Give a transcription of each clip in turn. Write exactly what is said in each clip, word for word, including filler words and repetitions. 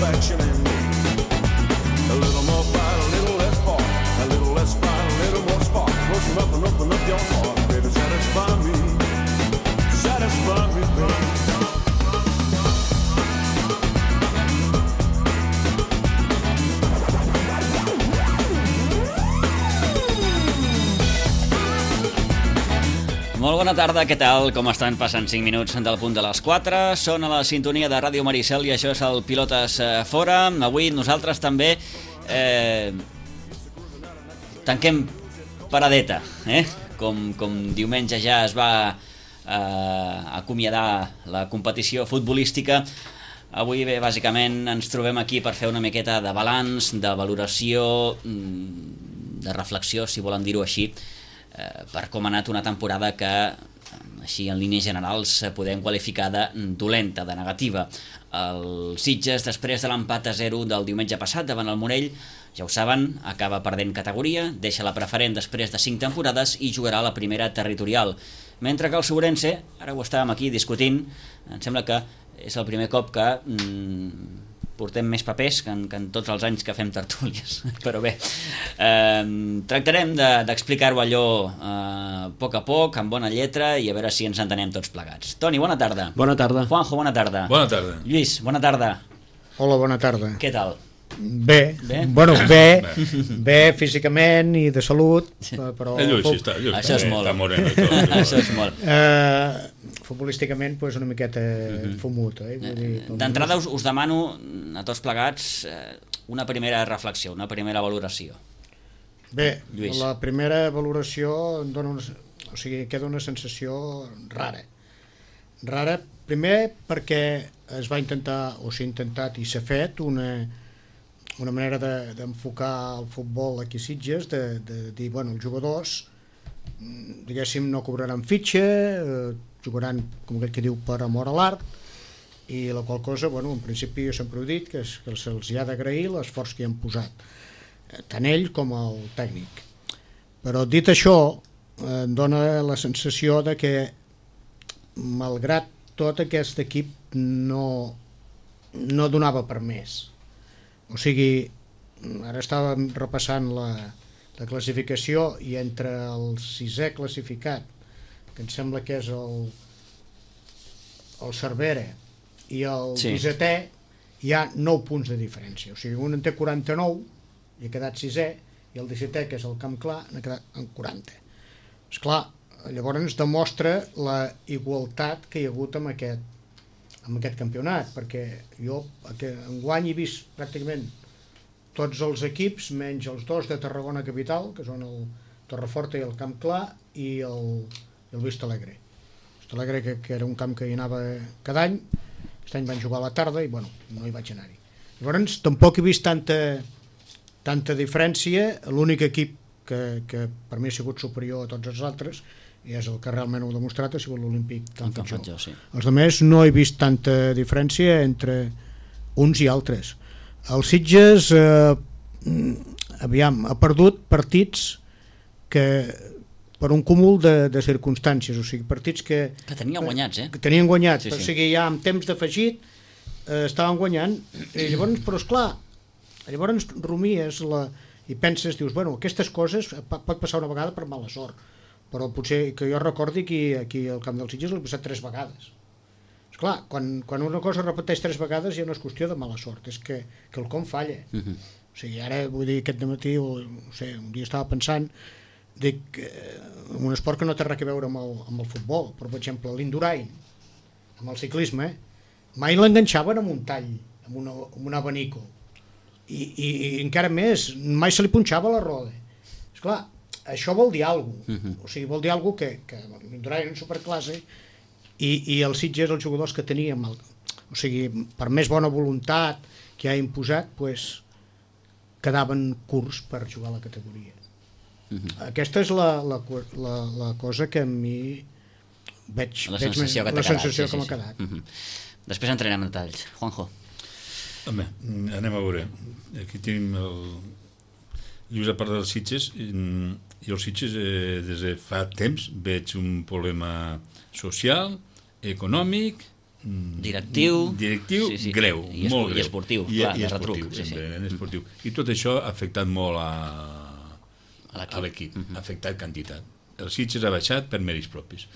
satisfaction in me. A little more fight, a little less fart. A little less fight, a little more spark. Close enough and open up your heart, baby, satisfy me. Satisfy me, baby. Molt bona tarda, què tal? Com estan? Passen cinc minuts del punt de les quatre. Són a la sintonia de Ràdio Maricel i això és el Pilotes Fora. Avui nosaltres també eh, tanquem paradeta, eh? Com, com diumenge ja es va eh, acomiadar la competició futbolística. Avui bé, bàsicament ens trobem aquí per fer una miqueta de balanç, de valoració, de reflexió, si volen dir-ho així, per com ha anat una temporada que, així en línies generals, podem qualificar de dolenta, de negativa. El Sitges, després de l'empat a zero del diumenge passat davant el Morell, ja ho saben, acaba perdent categoria, deixa la preferent després de cinc temporades i jugarà a la primera territorial. Mentre que el Segurense, ara ho estàvem aquí discutint, em sembla que és el primer cop que mm, portem més papers que en, que en tots els anys que fem tertúlies, però bé, eh, tractarem de, d'explicar-ho allò eh, a poc a poc, amb bona lletra, i a veure si ens entenem tots plegats. Toni, bona tarda. Bona tarda. Juanjo, bona tarda. Bona tarda. Lluís, bona tarda. Hola, bona tarda. Què tal? Bé, bé? bueno, bé, bé físicament i de salut, però... El Lluís està, el Lluís això és està, molt. Està moreno i tot. Això és molt. Eh, futbolísticament, pues, una miqueta uh-huh. fumut. Eh? Vull dir, d'entrada us, us demano a tots plegats eh, una primera reflexió, una primera valoració. Bé, Lluís. La primera valoració em dona una, o sigui, queda una sensació rara. Rara, primer perquè es va intentar, o s'ha intentat i s'ha fet una... una manera de, d'enfocar el futbol aquí a Sitges, de, de dir, bueno, els jugadors, diguéssim, no cobraran fitxa, eh, jugaran, com aquell que diu, per amor a l'art, i la qual cosa, bueno, en principi jo sempre he dit que, és, que se'ls hi ha d'agrair l'esforç que hi han posat, tant ell com el tècnic. Però dit això, eh, em dona la sensació de que, malgrat tot, aquest equip no, no donava per més. O sigui, ara estàvem repassant la, la classificació i entre el sisè classificat, que em sembla que és el, el Cervera, i el sí. dissetè, hi ha nou punts de diferència. O sigui, un en té quaranta-nou i ha quedat sisè, i el dissetè, que és el Camp Clar, n'ha quedat en quaranta. Esclar, llavors ens demostra la igualtat que hi ha hagut amb aquest amb aquest campionat, perquè jo enguany he vist pràcticament tots els equips, menys els dos de Tarragona Capital, que són el Torreforta i el Camp Clar, i el, el Vista Alegre. Vista Alegre, que, que era un camp que hi anava cada any, aquest any van jugar a la tarda i bueno, no hi vaig anar-hi. Llavors tampoc he vist tanta, tanta diferència. L'únic equip que, que per mi ha sigut superior a tots els altres, i és el que realment ho ha demostrat, ha sigut l'Olímpic Can Fatjó. Sí. Els altres no he vist tanta diferència entre uns i altres. El Sitges eh, aviam, ha perdut partits que per un cúmul de, de circumstàncies, o sigui, partits que... Que tenien guanyats, eh? Que tenien guanyats, sí, sí. O sigui, ja amb temps d'afegit eh, estaven guanyant, i llavors, però esclar, llavors rumies la, i penses, dius, bueno, aquestes coses pot passar una vegada per mala sort, però potser que jo recordi que aquí al Camp del Sitges l'he passat tres vegades. Esclar, quan, quan una cosa repeteix tres vegades ja no és qüestió de mala sort, és que, que el com falla. Uh-huh. O sigui, ara, vull dir, aquest dematí, o, no sé, un dia estava pensant, dic, eh, un esport que no té res a veure amb el, amb el futbol, però, per exemple, l'Indurain, amb el ciclisme, mai l'enganxaven amb un tall, amb, una, amb un abanico, I, i, i encara més, mai se li punxava la roda. Esclar, això vol dir alguna cosa, uh-huh. O sigui, vol dir alguna cosa que, que l'Indurain en superclasse i, i el Sitges, els jugadors que teníem, el, o sigui, per més bona voluntat que ha imposat, pues, quedaven curts per jugar a la categoria. Uh-huh. Aquesta és la, la, la, la cosa que a mi veig, la veig sensació més, que, la sensació quedat, sí, que sí, m'ha quedat. Sí. Uh-huh. Després entrarem en detalls. Juanjo. Home, anem a veure. Aquí tenim el... Lluís, a part dels Sitges, i els Sitges eh, des de fa temps veig un problema social, econòmic directiu, directiu sí, sí. greu, I espor- molt i greu. esportiu, I, clar, i de esportiu, retruc, sí, sí. en esportiu. I tot això ha afectat molt a, A l'equip. a l'equip, ha afectat quantitat. El Sitges ha baixat per mèrits propis.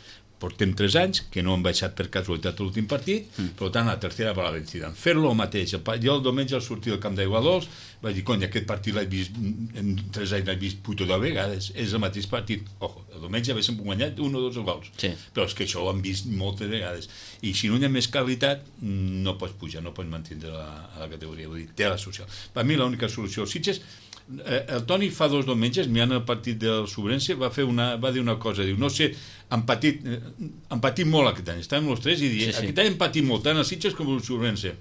Portem tres anys que no han baixat per casualitat l'últim partit, mm. per tant la tercera va la vencida. Fer-lo el mateix. Jo el diumenge al sortir del camp d'Aigua Dols vaig dir, cony, aquest partit l'he vist, en tres anys l'he vist puto de vegades, és el mateix partit. Ojo, el diumenge haguéssim guanyat un o dos gols, sí. però és que això ho han vist moltes vegades. I si no hi ha més qualitat, no pots pujar, no pots mantenir la, a la categoria. Vull dir, té la solució. Per mi l'única solució, Sitges, el Toni fa dos diumenges, mirant el partit del Sobrense, va, fer una, va dir una cosa, diu, no sé, han patit, han patit molt aquest any, estàvem els tres i dir, sí, sí. aquest any han patit molt, tant el Sitges com el Sobrense.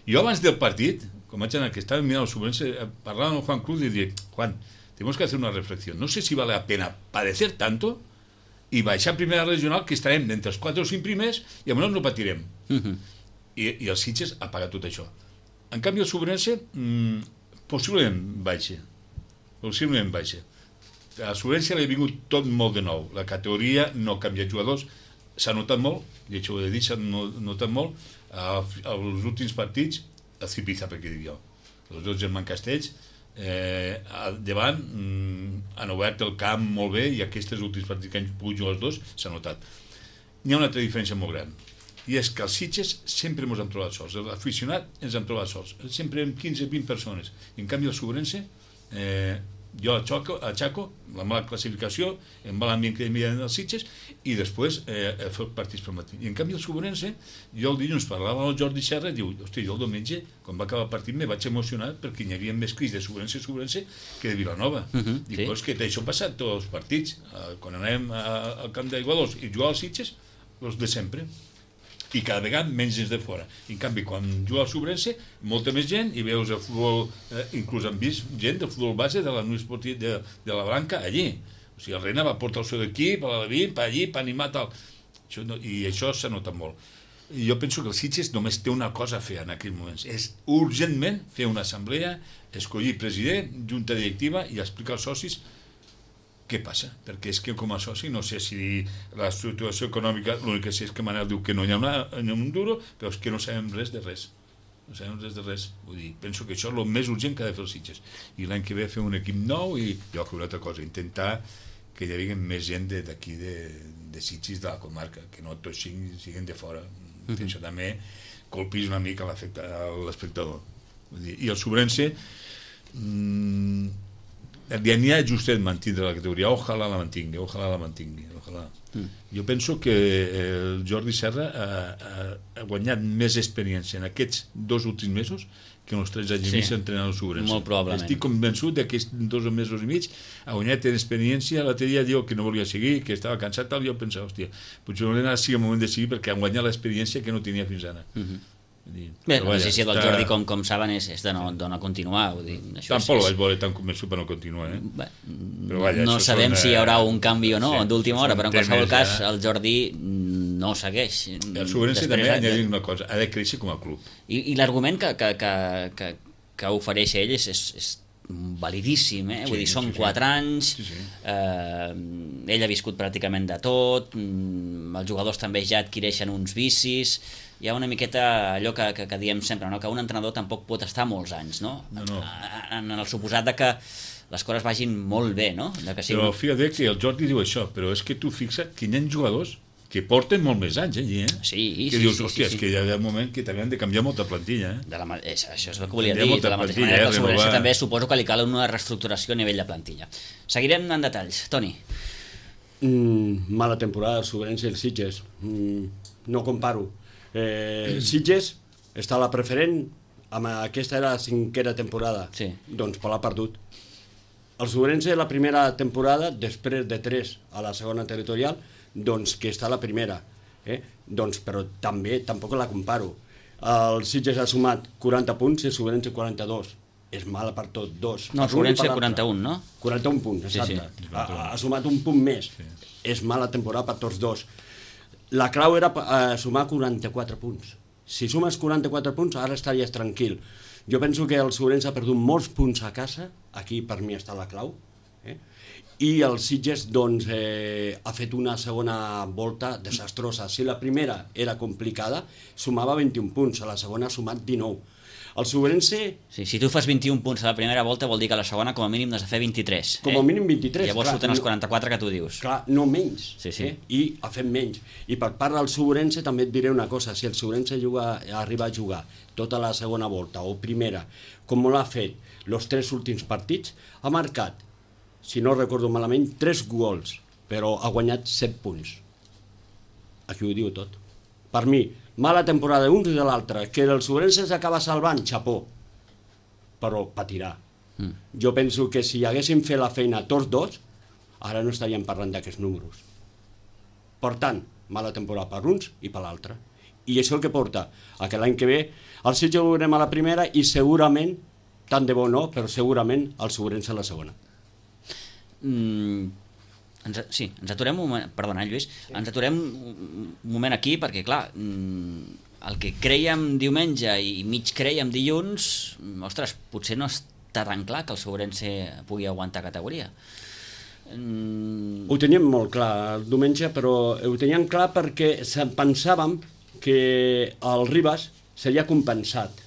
Jo abans del partit, com vaig anar, que estava mirant el Sobrense, parlava amb el Juan Cruz i dir, Juan, tenemos que hacer una reflexión, no sé si vale la pena padecer tanto i baixar a primera regional, que estarem entre els quatre o cinc primers i almenys no patirem. Uh -huh. I, i el Sitges ha pagat tot això. En canvi el Sobrense mmm, possiblement baixa, possiblement baixa. A la Sobrense l'ha vingut tot molt de nou, la categoria no ha canviat jugadors, s'ha notat molt, i això ho he de dir, s'ha notat molt, als últims partits, el Cipiza, perquè dic jo, els dos germans Castells, eh, al davant mm, han obert el camp molt bé i aquests últims partits que han pogut jugar els dos s'ha notat. Hi ha una altra diferència molt gran, i és que els Sitges sempre ens hem trobat sols, l'aficionat ens hem trobat sols, sempre amb quinze o vint persones. I en canvi el Sobrense, eh, jo a Chaco, a Chaco, la mala classificació, en mal ambient que hi havia els Sitges, i després eh, he fet partits per matí. I en canvi el Sobrense, jo el dilluns parlava amb el Jordi Serra i diu, hosti, jo el diumenge, quan va acabar el partit, me vaig emocionar perquè hi havia més crits de Sobrense Sobrense que de Vilanova. Uh -huh, I sí. Pues que això ha passat tots els partits. Quan anem al camp d'Aigua Dols i jugar als Sitges, els de sempre. I cada vegada menys gens de fora. I en canvi, quan juga al Sobrense, molta més gent, i veus el futbol, eh, inclús han vist gent del futbol base de la Unió Esportiva de, de la Blanca allí. O sigui, el Reina va portar el seu equip, a l'Alevin, per allí, per animar tal. Això no, i això s'ha notat molt. I jo penso que el Sitges només té una cosa a fer en aquells moments. És urgentment fer una assemblea, escollir president, junta directiva i explicar als socis què passa, perquè és que com a soci no sé si la situació econòmica, l'únic que sé és que Manel diu que no hi ha, una, hi ha un duro, però és que no sabem res de res, no sabem res de res. Vull dir, penso que això és el més urgent que ha de fer els Sitges, i l'any que ve fer un equip nou i jo fer una altra cosa, intentar que hi hagi més gent d'aquí de, de Sitges de la comarca, que no tots siguin, siguin de fora. Mm -hmm. Això també colpís una mica l'espectador. I el Sobrense mmm, n'hi ha justet mantindre la categoria, ojalà la mantingui, ojalà la mantingui, ojalà. Mm. Jo penso que el Jordi Serra ha, ha, ha guanyat més experiència en aquests dos últims mesos que en els tres anys i mig entrenant el Sobrense. Molt probablement. Estic convençut que aquests dos mesos i mig ha guanyat en experiència. L'altre dia diu que no volia seguir, que estava cansat, tal, i jo pensava, hòstia, potser ara sigui el moment de seguir perquè ha guanyat l'experiència que no tenia fins ara. Mm -hmm. Dir, bé, la decisió del Jordi, com, com saben, és, és de, no, de no continuar. Vull dir, això tampoc és, el vaig veure tan convençut per no continuar, eh? Bé, però vaja, no sabem són, si hi haurà un canvi o no sí, d'última hora, però en qualsevol cas ja. el Jordi no segueix. El Sobrense també ha de dir una cosa, ha de créixer com a club. I, i l'argument que, que, que, que, que ofereix ell és, és, és validíssim, eh? Sí, Vull dir, són sí, sí. quatre anys, sí, sí. Eh, ell ha viscut pràcticament de tot, els jugadors també ja adquireixen uns vicis, hi ha una miqueta allò que, que, que diem sempre, no? Que un entrenador tampoc pot estar molts anys, no? No, no. En, en el suposat de que les coses vagin molt bé, no? De que sigui... Però fíjate que el Jordi diu això, però és que tu fixa't que hi ha jugadors que porten molt més anys allí, eh? Sí, que sí, dius, sí, hòstia, sí, és que hi ha un moment que també han de canviar molta plantilla, eh? De la, és, això és el que volia Canviar dir, de la mateixa plantilla, manera que eh, el Sobrense renovar. també suposo que li cal una reestructuració a nivell de plantilla. Seguirem en detalls. Toni. Mm, mala temporada el Sobrense i el Sitges. Mm, no comparo. Eh, Sitges està a la preferent, amb aquesta era la cinquena temporada, sí. Doncs per l'ha perdut. El Sobrense la primera temporada, després de tres a la segona territorial, doncs que està a la primera, eh? Doncs, però també tampoc la comparo. El Sitges ha sumat quaranta punts i el Sobrense quaranta-dos. És mala per tot, dos. No, el Sobrense quaranta-un, no? quaranta-un punts, exacte. Sí, sí. Ha, ha sumat un punt més. Sí. És mala temporada per tots dos. La clau era eh, sumar quaranta-quatre punts. Si sumes quaranta-quatre punts, ara estaries tranquil. Jo penso que el Sobrense ha perdut molts punts a casa, aquí per mi està la clau, Eh? I el Sitges doncs, eh, ha fet una segona volta desastrosa. Si la primera era complicada, sumava vint-i-un punts, a la segona ha sumat dinou. El Sobrense... Sí, si tu fas vint-i-un punts a la primera volta vol dir que a la segona com a mínim n'has de fer vint-i-tres. Com a eh? mínim vint-i-tres. Llavors clar, surten els no, quaranta-quatre que tu dius. clar, no menys. Sí, sí. Eh? I ha fet menys. I per part del Sobrense també et diré una cosa. Si el Sobrense juga, arriba a jugar tota la segona volta o primera, com l'ha fet els tres últims partits, ha marcat, si no recordo malament, tres gols, però ha guanyat set punts. Aquí ho diu tot. Per mi, mala temporada d'un i de l'altre, que el Sobrense s'acaba salvant, xapó, però patirà. Mm. Jo penso que si haguéssim fet la feina tots dos, ara no estaríem parlant d'aquests números. Per tant, mala temporada per uns i per l'altre. I això el que porta a que l'any que ve el Sitges ho veurem a la primera i segurament, tant de bo no, però segurament el Sobrense a la segona. Mm, ens, sí, ens aturem un moment, perdona Lluís, sí. ens aturem un moment aquí perquè clar, el que creiem diumenge i mig creiem dilluns, ostres, potser no està tan clar que el Sobrense pugui aguantar categoria. Mm... Ho teníem molt clar el diumenge, però ho teníem clar perquè pensàvem que el Ribas seria compensat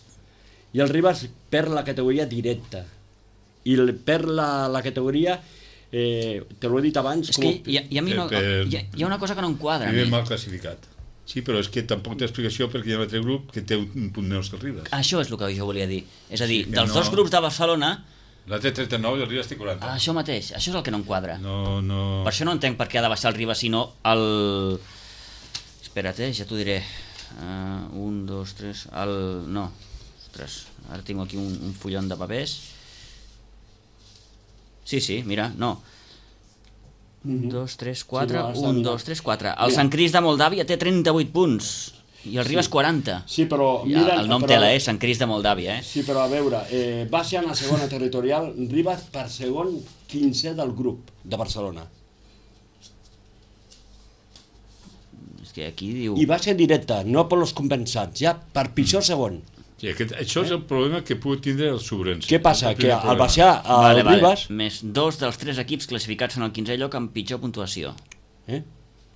i el Ribas perd la categoria directa i perd la, la categoria eh, te l'ho he dit abans és com... que hi ha, hi, ha no, per, per... hi, ha, hi ha una cosa que no em quadra Vive mal classificat. Sí, però és que tampoc té explicació perquè hi ha un altre grup que té un punt menys que el Ribas. Això és el que jo volia dir, és a dir, Sí, dels no... dos grups de Barcelona l'altre trenta-nou i el Ribas té quaranta. això mateix, això és el que no em quadra. No, no... Per això no entenc per què ha de baixar el Ribas sinó el... espera't, eh, ja t'ho diré. Uh, un, dos, tres... El... no, ostres, ara tinc aquí un, un fullon de papers. Sí, sí, mira, no. Un, dos, tres, quatre, Sí, no, un, dos, tres, quatre. El Sant Cris de Moldàvia té trenta-vuit punts i el Ribas quaranta. Sí, però... I Mira, el nom però, tela, eh? Sant Cris de Moldàvia, eh? Sí, però a veure, eh, baixa en la segona territorial, Ribas per segon quinze del grup de Barcelona. És que aquí diu... I baixa directa, no per los compensats, ja per pitjor segon. Sí, aquest, això és el problema que pugui tindre el Sobrense. Què passa? El Que primer al problema. baixar el Vale, vale. Ribas... Més dos dels tres equips classificats en el quinzè lloc amb pitjor puntuació. Eh?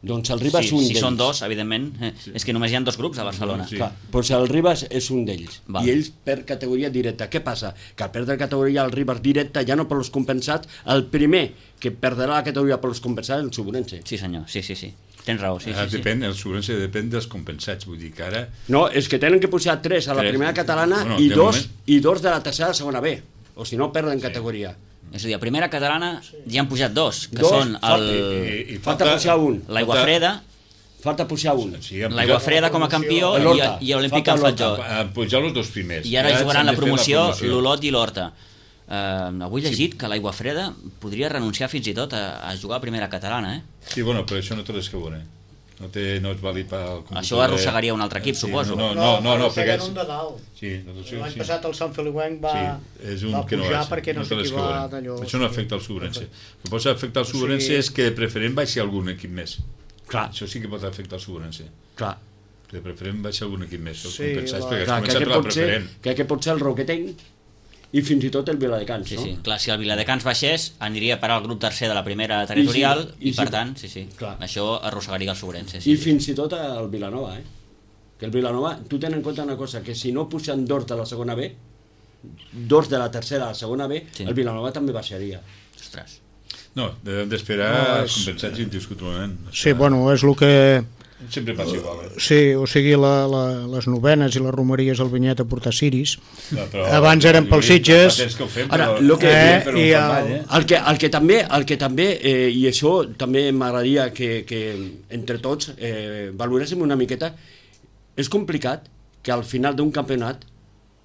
Doncs el Ribas Sí, és un si d'ells. són dos, evidentment, eh, és que només hi ha dos grups a Barcelona. Sí. Clar, doncs el Ribas és un d'ells. Val. I ells per categoria directa. Què passa? Que al perdre categoria el Ribas directa, ja no per los compensats, el primer que perdrà la categoria per los compensats és el Sobrense. Sí, senyor, sí, sí, sí. Tens raó, sí, Ara sí, sí. depèn, el Sobrense depèn dels compensats, vull dir que ara... No, és que tenen que posar tres a la Tres. primera catalana Bueno, i, de dos, moment. i dos de la tercera a la segona B. O si no, perden categoria. És a dir, a primera catalana ja han pujat dos, que Dos, són falta- el... I, i Falta pujar un. l'Aigua Freda, Falta pujar un. Sí, han l'Aigua pujat- Freda com a campió El i, Horta. i Olímpic Falta al el Horta. Fatjó. Han pujat els dos primers. I ara Ja jugaran s'han la de fer promoció l'Olot i l'Horta. Uh, avui he llegit que l'Aigua Freda podria renunciar fins i tot a, a jugar a primera catalana, eh? Sí, bueno, però això no té res que veure. No, té, no és vàlid per... Això arrossegaria un altre equip, suposo. No, no, no, no, perquè... arrosseguen un de dalt. Sí, no, sí, L'any sí. passat el Sant Feliuenc va, Sí, és un va que no pujar és, perquè no, té sé res qui que va veure. d'allò. Això no afecta el Sobrense. El que pot afectar el O sigui- Sobrense és que de preferent baixi algun equip més. Clar. Això sí que pot afectar el Sobrense. Clar. De preferent baixi algun equip més. Els Sí, compensats, la- perquè has Clar, que començat aquest per la pot ser, preferent. que aquest pot ser el Roquetenc i fins i tot el Viladecans, Sí, no? sí. Clar, si el Viladecans baixés, aniria a parar al grup tercer de la primera territorial I si- i, i per si- tant, sí, sí, Clar. això arrossegaria el Sobrense. I Sí, sí. fins i tot el Vilanova, eh? Que el Vilanova, tu ten en compte una cosa, que si no pugen dos de la segona B, dos de la tercera a la segona B, Sí. el Vilanova també baixaria. Ostres. No, hem d'esperar No, els és- compensats indiscutiblement. Sí, bueno, és el que... Sempre passa igual. Eh? Sí, o sigui, la, la, les novenes i les romeries al Vinyet a portar ciris. No, però- Abans eren pels Sitges. Fa temps que ho fem, Ara, però- lo que- Eh, però ho i fem el- mal, eh? El que, el que també, el que també eh, i això també m'agradaria que, que entre tots eh, valoréssim una miqueta, és complicat que al final d'un campionat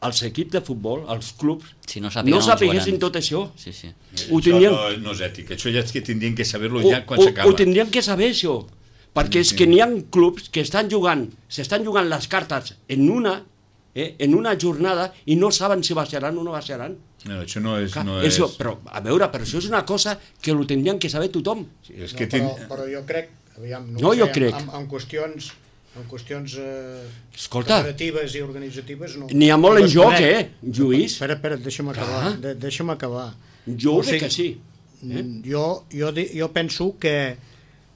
els equips de futbol, els clubs, Si no sàpiguen no on sapiguessin jugaran. tot això. Sí, sí. Ho Això tindrien, no, no és ètic, això ja és que tindrien que saber-lo ho, ja quan ho, s'acaba. ho tindrien que saber, això. Perquè és que n'hi ha clubs que estan jugant, s'estan jugant les cartes en una, eh, en una jornada i no saben si baixaran o no baixaran. No, això no és... Clar, no això, és... però, a veure, però això és una cosa que ho tindrien que saber tothom. Sí, és No, que però, tin... però jo crec, aviam, no, No, ho sé, jo crec. En, en qüestions, en qüestions eh, Escolta. federatives i organitzatives no. N'hi ha molt en No es joc, conec. eh, Lluís? Espera, espera, deixa'm acabar, Clar. de, deixa'm acabar. Jo O ho veig sigui, que sí. Eh? Jo, jo, jo penso que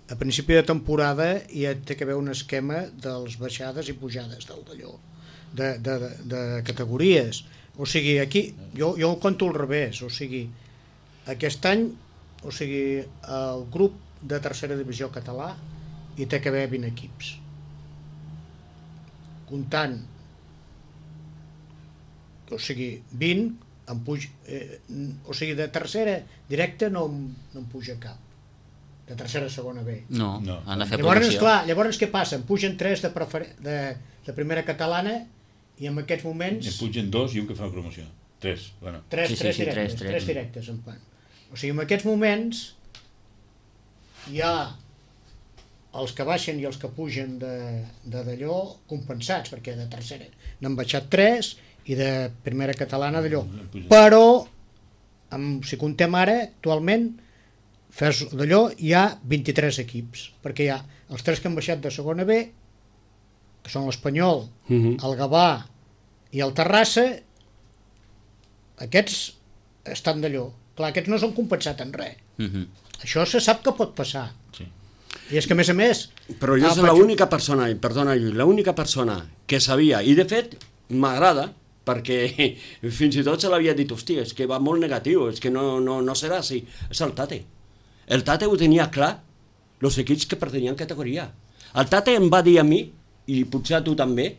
a principi de temporada ja té que haver un esquema dels baixades i pujades del d'allò, de, de, de, de categories. O sigui, aquí, jo, jo ho conto al revés, o sigui, aquest any, o sigui, el grup de tercera divisió català hi té que haver vint equips. Comptant, o sigui, vint, en puj, eh, o sigui, de tercera directa no, no en puja cap. De tercera a segona B. No, No. han de fer Llavors, promoció. clar, llavors què passa? En pugen tres de, prefer... de, de primera catalana i en aquests moments En pugen dos i un que fa la promoció. Tres, bueno. tres, Sí, sí, tres, sí, directes, tres, tres. tres directes en fan. O sigui, en aquests moments hi ha els que baixen i els que pugen de de d'allò compensats, perquè de tercera n'han baixat tres i de primera catalana d'allò. Però, amb, si comptem ara, actualment, fes d'allò, hi ha vint-i-tres equips, perquè hi ha els tres que han baixat de segona B, que són l'Espanyol, Mhm. el Gavà i el Terrassa. Aquests estan d'allò. Clar, aquests no s'han compensat en res. Mhm. Això se sap que pot passar. Sí. I és que, a més a més... Però jo ah, soc faig- l'única persona, i perdona Lluís, l'única persona que sabia, i de fet m'agrada, perquè fins i tot se l'havia dit, hòstia, és que va molt negatiu, és que no, no, no serà així, és el Tate. El Tate ho tenia clar, els equips que pertanyen a categoria. El Tate em va dir a mi, i potser a tu també,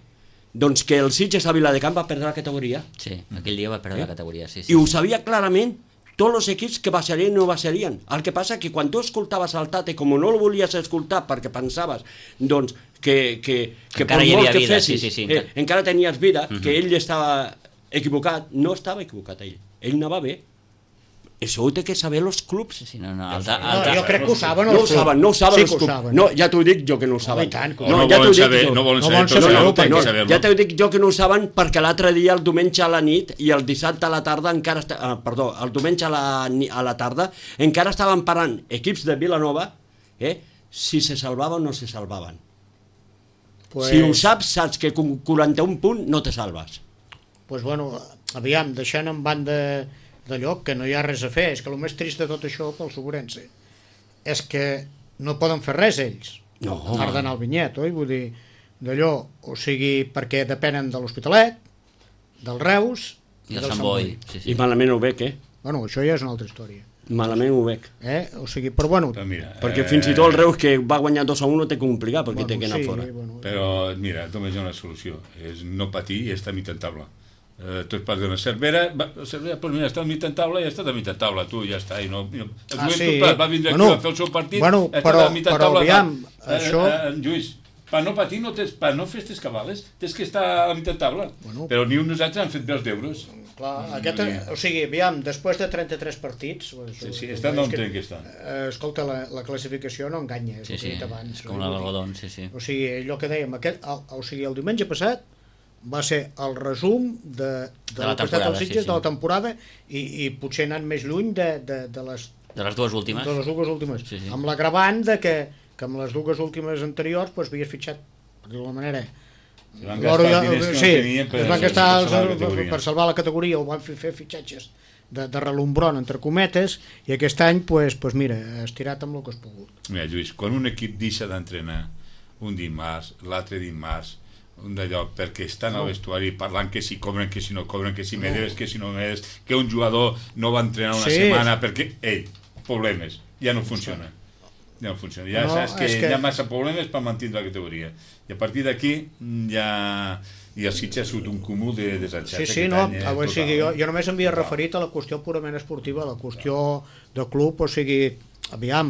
doncs que el Sitges a Viladecans va perdre la categoria. Sí, aquell dia va perdre Eh? la categoria, sí, sí. I ho sabia clarament tots els equips que baixarien i no baixarien. El que passa que quan tu escoltaves el Tate, com no el volies escoltar perquè pensaves doncs, que, que, que encara per hi molt havia que vida, fessis, sí, sí, sí, eh, encara- encara tenies vida, Mhm. que ell estava equivocat, no estava equivocat ell. Ell anava bé. Això ho té que saber els clubs. Sí, sí, no, no, el, No, ta, el, ta, jo crec que ho saben No els ho clubs. saben, no ho saben Sí els que ho clubs. saben. No, ja t'ho dic jo que no ho saben. i tant, que ho O no, ja t'ho volen dic saber, jo. no volen No saber, volen però saber, no, no, tenen no, que saber-lo. Ja t'ho dic jo que no ho saben perquè l'altre dia, el diumenge a la nit i el dissabte a la tarda encara... Esta... Ah, perdó, el diumenge a la, ni- a la tarda encara estaven parant equips de Vilanova eh, si se salvaven o no se salvaven. Pues, Si ho saps, saps que con quaranta-un punts no te salves. pues, bueno, aviam, deixant en banda d'allò, que no hi ha res a fer, és que el més trist de tot això pel Sobrense és que no poden fer res ells. No. A part d'anar al vinyet, oi? Vull dir, d'allò, o sigui, perquè depenen de l'Hospitalet, del Reus i el del Sant Boi. Sí, sí. I malament ho veig, eh? Bueno, això ja és una altra història. Malament ho veig. Eh? O sigui, però bueno... Però mira, Perquè eh, fins i tot el Reus, que va guanyar dos a un, té que complicar, perquè bueno, té que anar sí, fora. bueno, Però, mira, només hi ha una solució. És no patir i estar a mitja taula. Eh, tu et parles d'una Cervera, va, Cervera, doncs mira, està a mitja taula i ja està a mitja taula, tu ja està. I no, i no. El Ah, Joventut, sí? va, va vindre Bueno, aquí, va fer el seu partit, bueno, ha però- estat a mitja però taula. aviam, va, això- Eh, eh, Lluís, per no patir, no tens, per no fer aquestes cabales, tens que estar a mitja taula. Bueno. Però ni un nosaltres han fet bé els deures. clar, aquest, o sigui, aviam, després de trenta-tres partits... Pues, Sí, sí, eh, estan és on que- tenen que estar. Eh, escolta, la, la classificació no enganya, és Sí, el que sí, he dit abans. és com oi? l'algodon, sí, sí. O sigui, allò que dèiem, aquest, el, o sigui, el diumenge passat va ser el resum de, de, De la del que ha estat temporada, el sí, Sitges, sí. de la temporada i, i potser anant més lluny de, de, de, les, De les dues últimes. de les dues últimes. Sí, sí. Amb l'agravant de que, que amb les dues últimes anteriors pues, havies fitxat, per dir-ho d'alguna manera, Se van l'oro gastar ja- els diners que no sí, tenien per, es van per gastar salvar els, la per, categoria. per salvar la categoria, o van fer, fer fitxatges de, de relumbron, entre cometes, i aquest any, pues, pues mira, has tirat amb el que has pogut. Mira, Lluís, quan un equip deixa d'entrenar un dimarts, l'altre dimarts, un d'allò, perquè estan al vestuari parlant que si cobren, que si no cobren, que si me debes, que si no me debes, que un jugador no va entrenar una Sí. setmana perquè, ei, problemes, ja no funciona. Ja no funciona. Ja No, saps que, és que- hi ha massa problemes per mantenir la categoria. I a partir d'aquí ja... I el Sitges ha sigut un cúmul de desenxats. Sí, sí, aquest no, any, eh, o sigui, jo, total, eh? jo només m'havia Total. referit a la qüestió purament esportiva, a la qüestió de club, o sigui, aviam,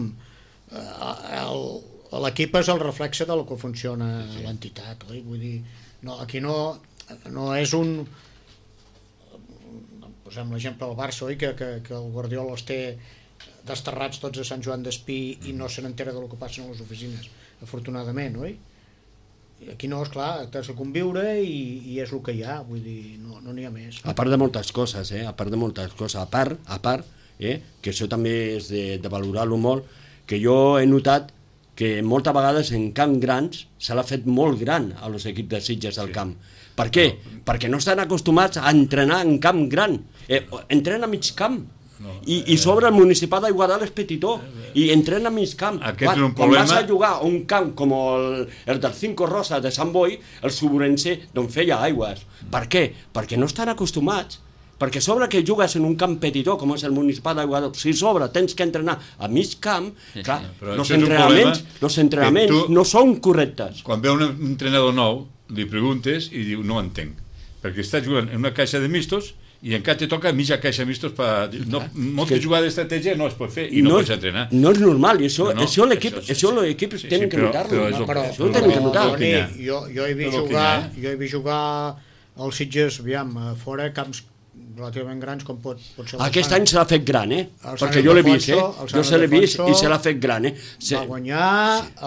eh, el- l'equip és el reflexe de lo que funciona sí. l'entitat, oi? Vull dir, no, aquí no, no és un... Posem l'exemple del Barça, oi? Que, que, que el Guardiola els té desterrats tots a Sant Joan d'Espí i no se n'entera del que passa a les oficines, afortunadament, oi? I aquí no, esclar, t'has de conviure i, i és el que hi ha, vull dir, no n'hi no ha més. A part de moltes coses, eh? A part de moltes coses. A part, a part eh? que això també és de, de valorar-lo molt, que jo he notat que moltes vegades en camp grans se l'ha fet molt gran a los equips de Sitges al Sí. camp. Per què? Perquè no estan acostumats a entrenar en camp gran. Eh, entrenen a mig camp. No, I, i sobre el municipal d'Aiguadal és petitó i entrena a mig camp. Aquest Quan, és un quan problema. vas a jugar a un camp com el, el del Cinco Rosa de Sant Boi, el Suburense d'on feia aigües. Per què? Perquè no estan acostumats. Perquè sobre que jugues en un camp petitó com és el municipal d'Aiguadal, si sobre tens que entrenar a mig camp, Sí, clar, sí. Però els això és un entrenaments, problema los entrenaments que tu- no són correctes. Quan ve un entrenador nou, li preguntes i diu, no entenc, perquè està jugant en una caixa de mistos i encara te toca mitja caixa de mistos per... No, moltes que- jugades d'estratègia no es pot fer i no, no, pots entrenar. no és normal, i això, No, no, això l'equip, això sí, això sí. l'equip Sí, sí, tenen que però- notar-lo. però és el- Però, Això ho tenen que notar. que hi ha. Toni, jo, jo he vist Tot el que jugar, hi ha. jo he vist jugar als Sitges, aviam, a fora camps relativament grans com pot, pot ser el Aquest Sant- any se l'ha fet gran, eh? El Sant Perquè jo l'he vist, eh? Ildefonso, el Sant Jo se l'he vist Ildefonso i se l'ha fet gran, eh? Se... va guanyar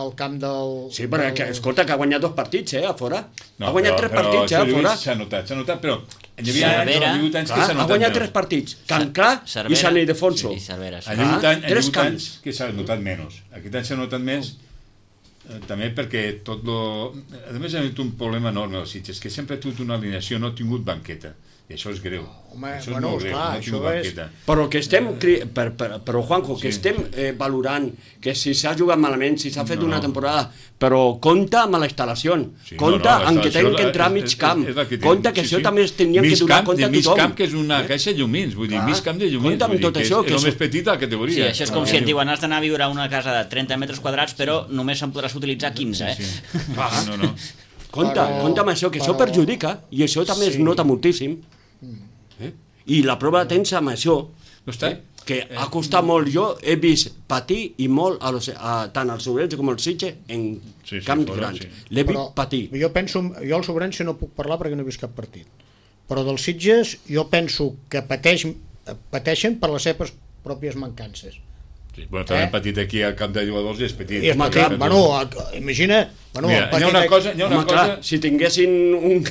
el camp del... Sí, però del... que, escolta, que ha guanyat dos partits, eh, a fora. No, ha guanyat però- tres però partits, eh, això a jo he fora. vist, S'ha notat, s'ha notat, però hi havia anys, Cervera. hi ha hagut anys que Clar, s'ha ha notat guanyat menys. tres partits. Can Clar i Cervera Sant Ildefonso. i Cervera, sí. Ha hagut, Ah, any, ha tres hagut camps. anys que s'ha notat menys. Aquest any s'ha notat més eh, també perquè tot lo... A més, ha tingut un problema enorme als Sitges, que sempre ha tingut una alineació, no ha tingut banqueta. I això és greu. Home, això és bueno, molt greu, esclar, no ha tingut això és- banqueta. Però que estem, cri- per, per, però Juanjo, que Sí. estem eh, valorant que si s'ha jugat malament, si s'ha fet No, una no. temporada, però compta amb la instal·lació, Sí, compta no, no, amb que això tenen és- que entrar a és- mig és- camp, és la que té- compta que sí, això sí. també es tenia que Mig donar camp, compte de a mig tothom. camp, que és una caixa de llumins, vull dir, Clar. mig camp de llumins, Compte amb vull dir, tot que és, això, és que el és- més petit de la Sí, categoria. això és com si et diuen has d'anar a viure a una casa de trenta metres quadrats però només se'n podràs utilitzar quinze, eh? Sí, sí. No, no. Compte, Però- compte amb això, que això però- perjudica, i això també es Sí. nota moltíssim. Eh? I la prova tens amb això, No està? eh? que ha costat molt. Jo he vist patir i molt a los, a, tant als Sobrense com als Sitges en Sí, sí, camps fora, grans. sí. L'he vist Però patir. jo penso, jo al Sobrense no puc parlar perquè no he vist cap partit, però dels Sitges jo penso que pateix, pateixen per les seves pròpies mancances. Sí, bueno, també Eh? hem patit aquí al camp de jugadors i és petit. I és Home, petit, clar, bueno, a- imagina, bueno, Mira, el hi ha petit una de- cosa, hi ha una Home, cosa... clar, si tinguessin un,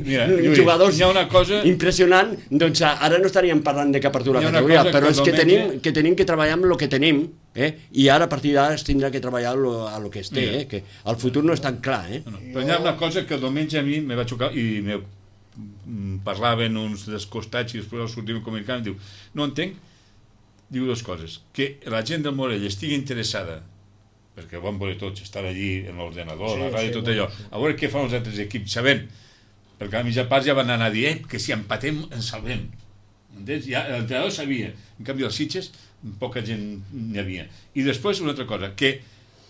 Mira, un Lluís, jugadors hi ha una cosa- impressionant, doncs ara no estaríem parlant de cap apertura Hi ha de una categoria, cosa però que és que diumenge- tenim, que tenim que treballar amb el que tenim, eh? I ara a partir d'ara es tindrà que treballar lo, a lo que es té, Mira. eh? Que el futur no és tan clar, eh? No, però hi ha una cosa que el diumenge a mi me va xocar i me mm, parlaven uns dels costats i després el sortim comunicant i diu, no entenc, diu dues coses, que la gent del Morell estigui interessada perquè ho van veure tots, estar allí en l'ordenador, Sí, la ràdio, sí, tot bueno, allò, sí. a veure què fan els altres equips, sabent, perquè a la mitja part ja van anar a dir, eh, que si empatem ens salvem. Entens? Ja, l'entrenador sabia, en canvi els Sitges poca gent n'hi havia. I després una altra cosa, que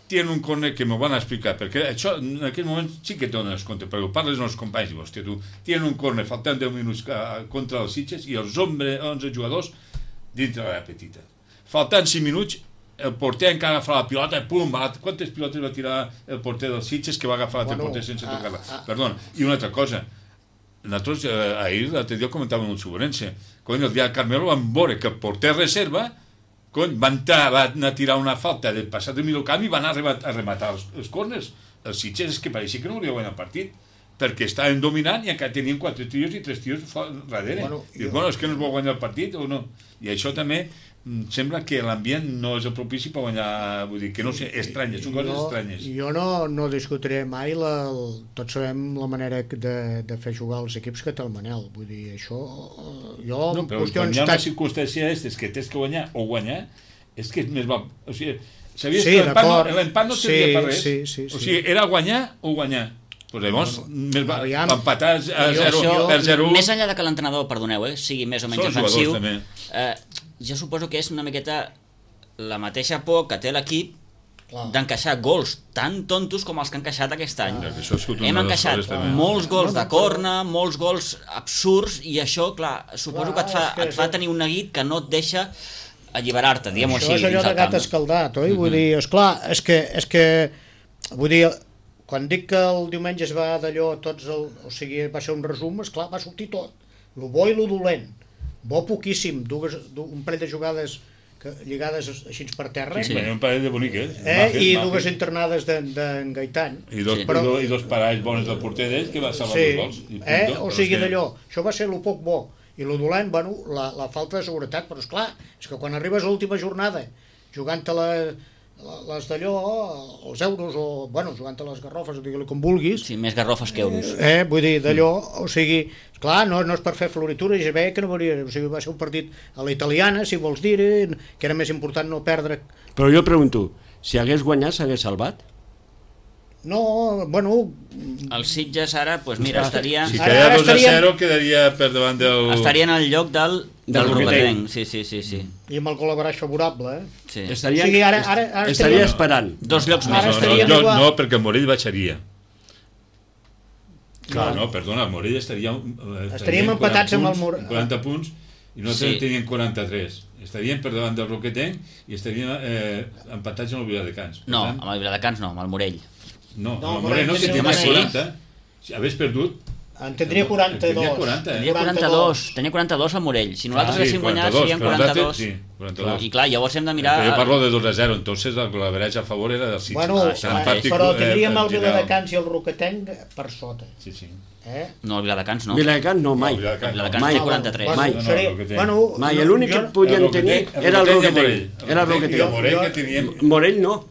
tenen un corner que m'ho van explicar, perquè això en aquell moment sí que et dones compte, perquè ho parles amb els companys i dius, hòstia, tu, tenen un corner faltant deu minuts a, contra els Sitges i els onze jugadors dintre l'àrea petita. Faltant cinc minuts, el porter encara agafa la pilota i pum, va, quantes pilotes va tirar el porter dels Sitges que va agafar l'altre Bueno, porter sense ah, tocar-la? ah. Perdona, i una altra cosa, nosaltres eh, ahir l'altre dia comentàvem amb el Sobrense, cony, el dia del Carmelo vam veure que el porter reserva cony, va, entrar, va anar a tirar una falta del passat de mig camp i va anar a rematar, a rematar els, els corners. Els Sitges és que pareixia que no hauria guanyat el partit perquè estaven dominant i encara tenien quatre tios i tres tios darrere. Bueno, Bueno, Dius, jo- bueno, és que no es vol guanyar el partit o no? I això també mm, sembla que l'ambient no és el propici per guanyar, vull dir, que no sé, estranyes, són coses jo, estranyes. jo no, no discutiré mai la, el, tots sabem la manera de, de fer jugar els equips que té el Manel, vull dir, això eh, jo No, en però quan qüestions hi ha una tan- circumstància aquestes que tens que guanyar o guanyar, és que és més val... O sigui, sabies Sí, que l'empat no, d'acord. l'empat no Sí, servia per res? sí, sí, O sí. sigui, era guanyar o guanyar. Pues llavors, més val, aviam. empatar a Jo- zero, això- per zero Més enllà de que l'entrenador, perdoneu, eh, sigui més o menys Són els ofensiu, jugadors, eh, jo suposo que és una miqueta la mateixa por que té l'equip Clar. d'encaixar gols tan tontos com els que han encaixat aquest any. Clar, que això ha sigut una Hem de les encaixat coses, també. molts gols No, no, de però- corna, molts gols absurds, i això, clar, suposo Clar, que et fa, és que et fa això- tenir un neguit que no et deixa alliberar-te, diguem-ho Això així, és allò dins de el gat camp. escaldat, oi? Vull dir, esclar, és que, és que, vull dir, quan dic que el diumenge es va d'allò, tots el, o sigui, va ser un resum, esclar, va sortir tot, lo bo i lo dolent, bo poquíssim, dues, du, un parell de jugades que, lligades així per terra, Sí, un parell de boniques. eh? Majes, i majes. dues internades d'en de, Gaitan. I dos, Sí. però... i, dos, i dos parells bons del porter d'ells que va salvar Sí, dos gols. I eh? punto, o però sigui és que- d'allò, això va ser lo poc bo, i lo dolent, bueno, la, la falta de seguretat, però esclar, és que quan arribes a l'última jornada, jugant-te la les d'allò, els euros, o, bueno, jugant a les garrofes, digue-li com vulguis, Sí, més garrofes que euros. eh, vull dir, d'allò, o sigui, clar, no, no és per fer floritura, ja veia que no volia, o sigui, va ser un partit a la italiana, si vols dir, que era més important no perdre. Però jo pregunto, si hagués guanyat s'hagués salvat? No, bueno... El Sitges ara, doncs mira, estaria... Si Ara- quedava ara dos a estaríem- zero quedaria per davant del... Estaria en el lloc del, del Del Roquetenc. Sí, sí, sí, sí. I amb el col·laboraix favorable, eh? sí. Estaria, O sigui, ara- ara- ara estaria estaria- esperant. Dos llocs Ara més. No, no, estaríem no, igual. no, perquè el Morell baixaria. Clar, no, perdona, el Morell estaria... eh, Estaríem tenien empatats amb el punts, Morell. quaranta punts, i nosaltres Sí. sí. teníem quaranta-tres. Estaríem per davant del Roquetenc i estaríem eh, empatats amb el Viladecans. Per No, tant, amb el Viladecans no, amb el Morell. no, No, el Morell no, que Morell tenia sí. quaranta. Si hagués perdut... En tindria quaranta-dos. Tenia quaranta, eh? Tenia quaranta-dos, tenia quaranta-dos al Morell. Si nosaltres Ah, sí, haguéssim guanyat, quaranta-dos, serien però nosaltres- quaranta-dos. sí, quaranta-dos. I clar, llavors hem de mirar... Pero yo parlo de dos a zero, entonces el colaboraje a favor era del Sitges. Bueno, Ah, eh, això mateix. però tindríem el eh, Viladecans i el Roquetenc per sota. Sí, sí. Eh? No, el Viladecans no. Viladecans no, mai. No, Viladecans El Viladecans Mai. té quaranta-tres. Bueno, Mai. No, no, seria, el Roquetenc. bueno, Mai, l'únic que jo- podien El tenir Roquetenc- era el Roquetenc i Roquetenc. Era el Roquetenc. I el Roquetenc. Morell Jo- que teníem... Morell no.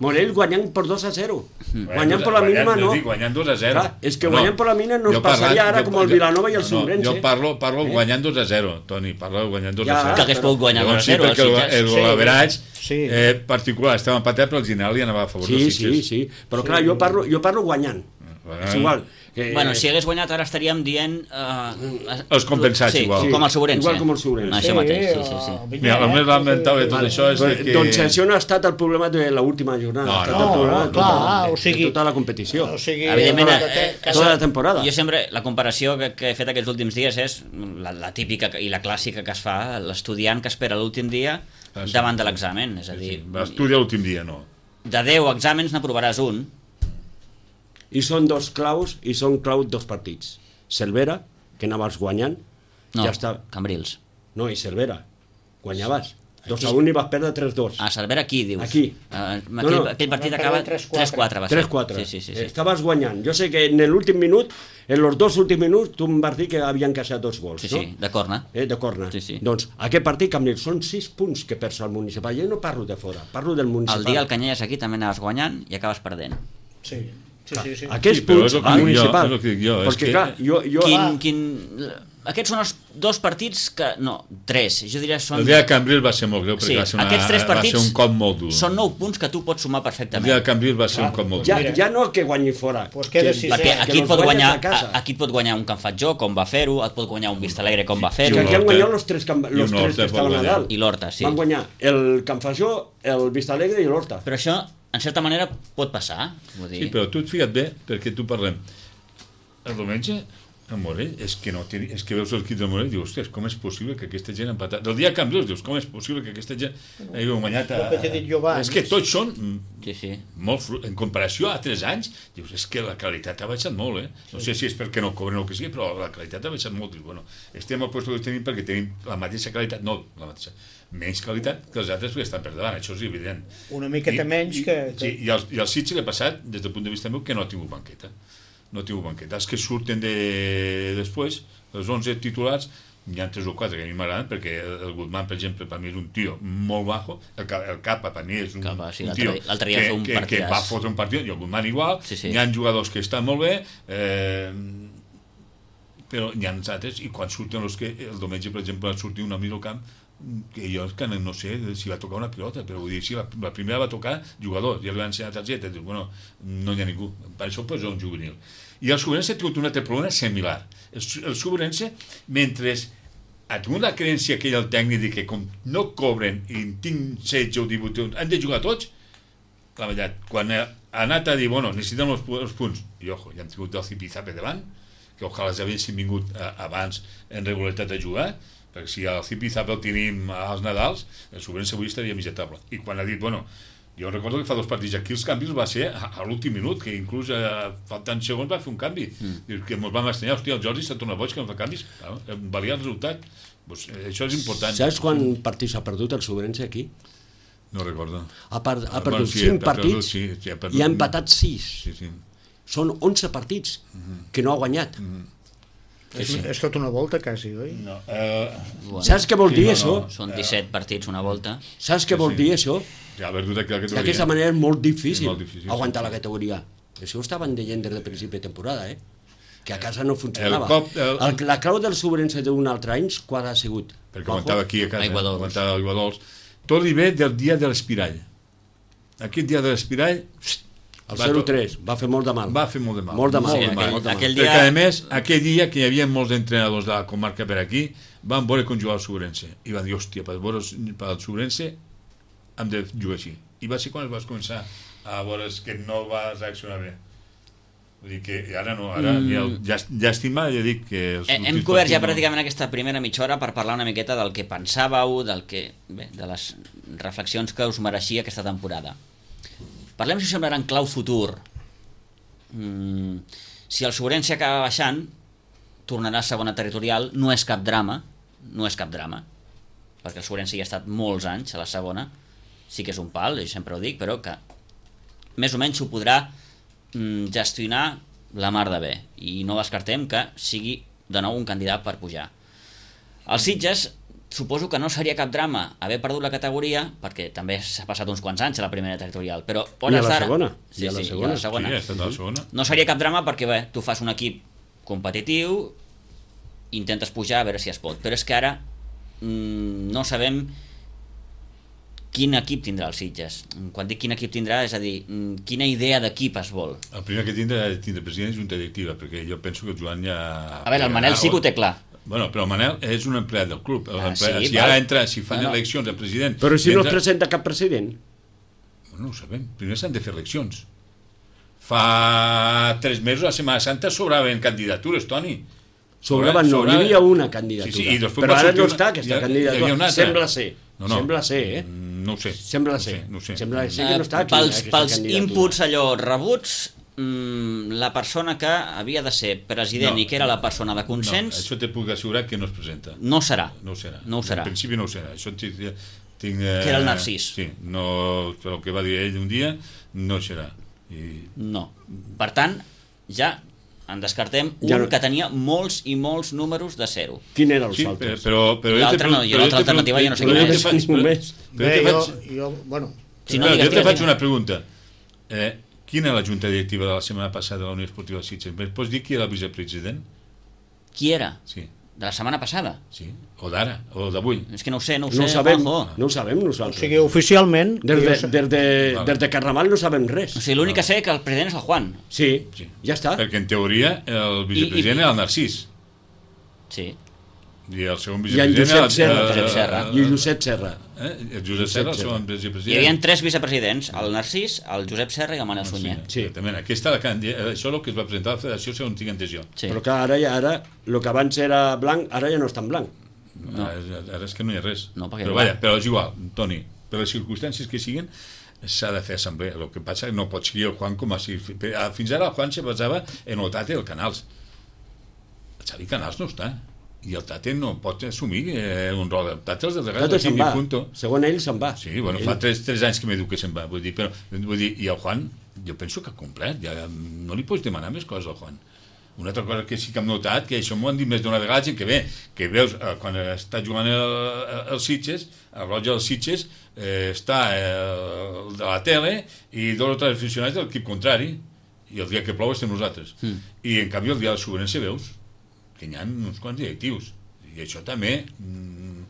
Morell guanyant per dos a zero. Guanyant per la mínima no. Guanyant dos a zero. Clar, és que guanyant per la mínima no es jo parlant- passaria ara jo- com el jo- Vilanova i el no, Sobrense. Jo parlo, parlo guanyant dos a zero, Toni, parlo guanyant dos Ja, a zero. Que hagués pogut guanyar dos a Llavors sí, zero. perquè el, el Sí. golaveratge Sí. eh, particular estava empatat, però el general li anava a favor Sí, dels sí, Sitges. sí. Però clar, jo parlo, jo parlo guanyant. Guanyant. És igual. Que, Bueno, si hagués guanyat ara estaríem dient... Uh, Els compensats, sí, igual. com el Sobrense. Igual com el Sobrense. No, això mateix, sí, sí, sí. el Mira, el més lamentable de tot Vale. això és de que... Doncs això no ha estat el problema de l'última jornada. No, ha estat no, el problema no, de clar, tota, o sigui- de tota la competició. O sigui, Evidentment, el eh, Roquetenc- eh, Tota la temporada. Jo sempre, la comparació que, que he fet aquests últims dies és la, la típica i la clàssica que es fa l'estudiant que espera l'últim dia Ah, sí. davant de l'examen. És a Sí, dir, sí. Va estudiar l'últim dia, no. de deu exàmens n'aprovaràs un. I són dos claus, i són clau dos partits. Cervera, que anaves guanyant, No, ja està. Cambrils. No, i Cervera, guanyaves. dos a un i vas perdre tres dos. A Cervera aquí, dius. Aquí. Uh, aquell, No, no. aquell partit Van acaba perdre tres quatre. tres quatre. va ser. tres quatre. Sí, sí, sí, sí. Estaves guanyant. Jo sé que en l'últim minut, en els dos últims minuts, tu em vas dir que havien caixat dos gols, Sí, no? sí, de corna. Eh, de corna. Sí, sí. Doncs aquest partit, Cambrils, són sis punts que perds al municipal. Jo no parlo de fora, parlo del municipal. El dia el Canyelles aquí també anaves guanyant i acabes perdent. Sí, sí, sí. sí. Aquests Sí, però punts és el que al dic jo, municipal. és el que dic jo, és Perquè, que- clar, jo... jo Quin, Ah. quin... Aquests són els dos partits que... No, tres. Jo diria són... El dia de Cambrils va ser molt greu, perquè Sí, va, ser una, aquests tres va partits ser un cop molt dur. són nou punts que tu pots sumar El dia perfectament. de Cambrils va ser un cop molt ja, dur. ja no que guanyi fora. Pues queda que- sisè. Perquè que aquí et los pot guanyes guanyar, a casa. a- aquí et pot guanyar un Can Fatjó, com va fer-ho, et pot guanyar un Vistalegre, com va Que fer-ho, un aquí han Horta. guanyat els tres, camp... I los un tres Horta que estaven pot a guanyar. dalt. i l'Horta, sí. Van guanyar el Can Fajó, el Vistalegre i l'Horta. Però això, en certa manera, pot passar. Vull dir... Sí, però tu et fica't bé, perquè tu parlem. El diumenge, el Morell, és que, no té, és que veus l'equip del Morell i dius, ostres, com és possible que aquesta gent ha empatat? Del dia de Cambrils dius, com és possible que aquesta gent hagi guanyat a... El que t'he dit jo abans. És que tots són mm, Sí, sí. molt fru... en comparació a altres anys, dius, és que la qualitat ha baixat molt, eh? No sé si és perquè no cobren o que sigui, però la qualitat ha baixat molt. Dius, bueno, estem al lloc que tenim perquè tenim la mateixa qualitat, no la mateixa, menys qualitat que els altres que estan per davant, això és evident. Una miqueta menys que- Sí, i el, i el Sitges l'ha passat, des del punt de vista meu, que no ha tingut banqueta. No ha tingut banqueta. Els que surten de... després, els onze titulars, hi ha tres o quatre que a mi m'agraden, perquè el Guzmán, per exemple, per mi és un tio molt bajo, el, Ca- el Capa per mi és un, Capa, sí, un l'altre tio dia- l'altre dia que, va fer un que, que partidàs. va fotre un partit, i el Guzmán igual, Sí, sí. hi ha jugadors que estan molt bé, eh, però hi ha altres, i quan surten els que, el diumenge, per exemple, va sortir un amic al camp, que jo és que no sé si va tocar una pilota, però vull dir, si la, la primera va tocar jugador, ja li van ensenyar targeta, dius, bueno, no hi ha ningú, per això posa un juvenil. I el Sobrense ha tingut un altre problema similar. El, el Sobrense, mentre ha tingut la creencia aquella el tècnic de que com no cobren i en tinc setze o divuit, han de jugar tots, la veritat, quan ha anat a dir, bueno, necessitem els, pu- els punts, i ojo, ja han tingut el Zipizape davant, que ojalà ja haguessin vingut eh, abans en regularitat a jugar, perquè si el Zipizape el tenim als Nadals, el Sobrense avui estaria mig a taula. I quan ha dit, bueno, jo recordo que fa dos partits aquí els canvis va ser a, a l'últim minut, que inclús eh, faltant segons va fer un canvi. Mm. Dius que ens vam estranyar, hòstia, el Jordi s'ha tornat boig que no fa canvis, claro, valia el resultat. Pues, eh, això és important. Saps quan partits ha perdut el Sobrense aquí? No recordo. Ha, per, ha Ah, perdut bueno, sí, cinc ha perdut, partits sí, sí, ha perdut. i ha empatat sis. Sí, sí. Són onze partits que no ha guanyat. És, és tota una volta, quasi, oi? No, eh, Bueno, Saps què vol Sí, dir, no, això? no. són disset partits una volta. Saps què vol sí. dir, això? ja, haver-ho de categoria. D'aquesta manera és molt difícil, És molt difícil, aguantar sí, la sí. categoria. Això ho estaven dient des de principi de temporada, eh? Que a casa no funcionava. El cop- el- El, la clau del Sobrense d'un altre any, qual ha sigut? Perquè Juanjo? aguantava aquí a casa, Aigua Dols. aguantava Aigua Dols. Tot li ve del dia de l'Espirall. Aquest dia de l'Espirall El va zero tot- tres va fer molt de mal. va fer molt de mal. Molt de mal. Sí, molt de mal. aquell- molt de mal. aquell Perquè, dia- a més, aquell dia que hi havia molts entrenadors de la comarca per aquí, van veure com jugava el Sobrense. I van dir, hòstia, per veure pel Sobrense hem de jugar així. I va ser quan es vas començar a veure que no va reaccionar bé. Vull dir que ara no, ara mm. mira, llàst- llàstima, ja dic que... Els Hem últims cobert ja partits no- pràcticament aquesta primera mitja hora per parlar una miqueta del que pensàveu, del que, bé, de les reflexions que us mereixia aquesta temporada. Parlem, si us sembla, en clau futur. Mm, si el Sobrense acaba baixant, tornarà a segona territorial, no és cap drama, no és cap drama, perquè el Sobrense ja ha estat molts anys a la segona, sí que és un pal, jo sempre ho dic, però que més o menys s'ho podrà mm, gestionar la mar de bé, i no descartem que sigui de nou un candidat per pujar. Els Sitges, suposo que no seria cap drama haver perdut la categoria, perquè també s'ha passat uns quants anys a la primera territorial, però I a la d'ara- segona. Sí, I a la sí, segona. i a la Sí, segona. ha estat a la segona. No seria cap drama perquè, bé, tu fas un equip competitiu, intentes pujar a veure si es pot, però és que ara mm, no sabem quin equip tindrà els Sitges. Quan dic quin equip tindrà, és a dir, mm, quina idea d'equip es vol. El primer que tindrà és tindre president i junta directiva, perquè jo penso que el Joan ja... A veure, el Manel sí que ho té clar. Bueno, però el Manel és un empleat del club. Ah, Empleat, sí, si val. ara entra, si fan No, no. eleccions de president... Però si no es entra- presenta cap president. No ho sabem. Primer s'han de fer eleccions. Fa tres mesos, a Setmana Santa, sobraven candidatures, Toni. Sobraven, no, hi havia una candidatura. Sí, sí, i després però va ara sortir no una- està aquesta hi ha- hi candidatura. havia una altra. Sembla ser. No, no. Sembla ser, eh? Mm, No ho sé. Sembla no ho ser. sé. No ho sé. Sembla ser que no està Eh, aquí. pels, aquesta pels candidatura. inputs allò rebuts, mm, la persona que havia de ser president No. i que era la persona de No, consens això te puc assegurar que no es presenta. no serà. No ho serà. No ho serà. En principi no ho serà. Això tinc, tinc, eh, Que era el Narcís. Sí, no, el que va dir ell un dia no serà. I, No. Per tant, ja en descartem un Ja no- que tenia molts i molts números de zero. Quin era els sí, altres? però, però jo L'altre te no, pre- i però l'altra jo te pre- alternativa jo no sé però quina jo te és. faig- Ningú més. però Bé, jo te jo, faig- jo, bueno, Si no, Clar, digues, jo te digues, faig digues. una pregunta. Eh, quina és la junta directiva de la setmana passada de la Unió Esportiva de Sitges? Em pots dir qui era el vicepresident? Qui era? Sí, De la setmana passada? sí. O d'ara, o d'avui. És que no ho sé, no ho No ho sé, sabem, Juanjo. no ho sabem o nosaltres. sigui, oficialment... Des jo de, sé- des de, Vale. des de Carramal no sabem res. O sigui, l'únic que sé que el president és el Juan. Sí, Sí. ja està. Perquè en teoria el vicepresident I- i- era el Narcís. Sí. I el segon I en vicepresident Josep era Serra. el- Josep Serra. I Josep Serra. Eh? El Josep Serra, el segon Hi havia vicepresident. tres vicepresidents, el Narcís, el Josep Serra i el Manel Sunyer. Sí, exactament. Aquesta, la candi- això és el que es va presentar a la federació, segons tinc entès jo. Sí. Però que ara, ja, ara, el que abans era blanc, ara ja no està en blanc. No. Ara, ara és que no hi ha res. No, perquè però no. vaja, però és igual, Toni, per les circumstàncies que siguin, s'ha de fer assemblea. El que passa és que no pot seguir el Juan com a... si- Fins ara el Juan se basava en el Tate i el Canals. El Xavi Canals no està. I el Tate no pot assumir eh, un rol. El Tate els delegats Tot se'n aquí, va. punto. Segons ell, se'n va. Sí, bueno, ell... fa tres, tres anys que m'he dit que se'n va. Vull dir, però, vull dir, i el Juan, jo penso que ha complert. Ja, no li pots demanar més coses al Juan. Una altra cosa que sí que hem notat, que això m'ho han dit més d'una vegada, gent que ve, que veus, eh, quan està jugant el, el Sitges, el roig del Sitges, eh, està el de la tele i dos o tres aficionats de l'equip contrari, i el dia que plou estem nosaltres. Mm. I en canvi el dia del Sobrense veus que hi ha uns quants directius. I això també, mm,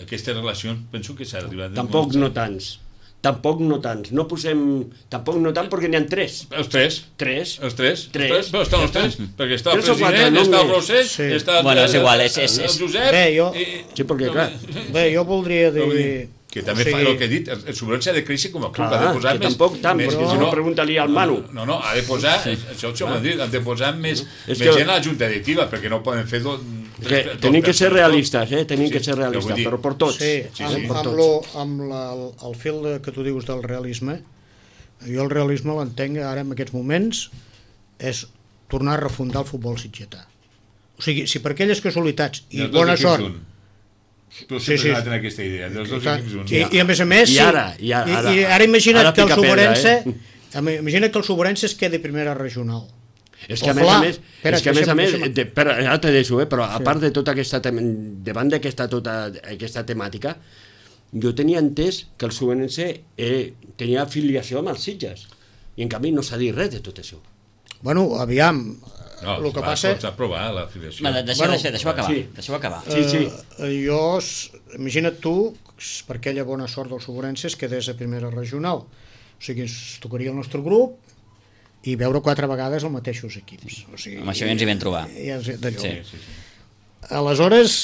aquestes relacions, penso que s'ha d'arribar... Tampoc no tants. Tampoc no tants. No posem... Tampoc no tant perquè n'hi ha tres. Els tres. Tres. Els tres. Tres. Els tres. Però estan els tres. Perquè està el Tres o quatre, president, no està el més. Rosell, Sí. està el, Bueno, és igual, és- és- el és- Josep... Bé, jo- i- Sí, perquè, clar, Bé, jo voldria dir... Vull dir que també o sigui, fa el que he dit, el, el Sobrense ha de créixer com a club, clar, ha de posar que més... tampoc tant, més, perquè que si no pregunta-li al Manu. No, no, ha de posar, això ho hem dit, ha de posar més, És més que- gent a la junta directiva, perquè no poden fer... Do, Que tenim que ser realistes, eh? Tenim Sí, que ser però vull realistes, dir- però per tots. Sí, Sí, amb, sí. Per amb, tots. lo, amb la, el, el fil de, que tu dius del realisme, jo el realisme l'entenc ara en aquests moments és tornar a refundar el futbol sitgetà. O sigui, si per aquelles casualitats i bona sort... Tu Sí, sempre sí. has anat en aquesta idea, dels dos equips un. I, I a més a més... I sí, ara, i ara, i, i ara imagina't ara que el pica pedra, Soberense eh? imagina't que el Soberense es quedi primera regional. És que a Ojalà. més a més, Espera, és que a més a més, deixa'm- de, però, ara te deixo, eh, però a part de tota aquesta, tem- davant d'aquesta tota aquesta temàtica, jo tenia entès que el Subenense eh, tenia afiliació amb els Sitges, i en canvi no s'ha dit res de tot això. Bueno, aviam, No, el que va, passa... S'ha aprovat l'afiliació. Va, deixa, Bueno, deixa, deixa-ho acabar. sí. Deixa-ho acabar. Sí, sí. Eh, jo, s- imagina't tu, per aquella bona sort del Sobrense, es quedés a primera regional. O sigui, es tocaria el nostre grup i veure quatre vegades els mateixos equips. O sigui, Amb això ja ens hi vam trobar. Ja, ja, d'allò. Sí. Sí, sí. Aleshores,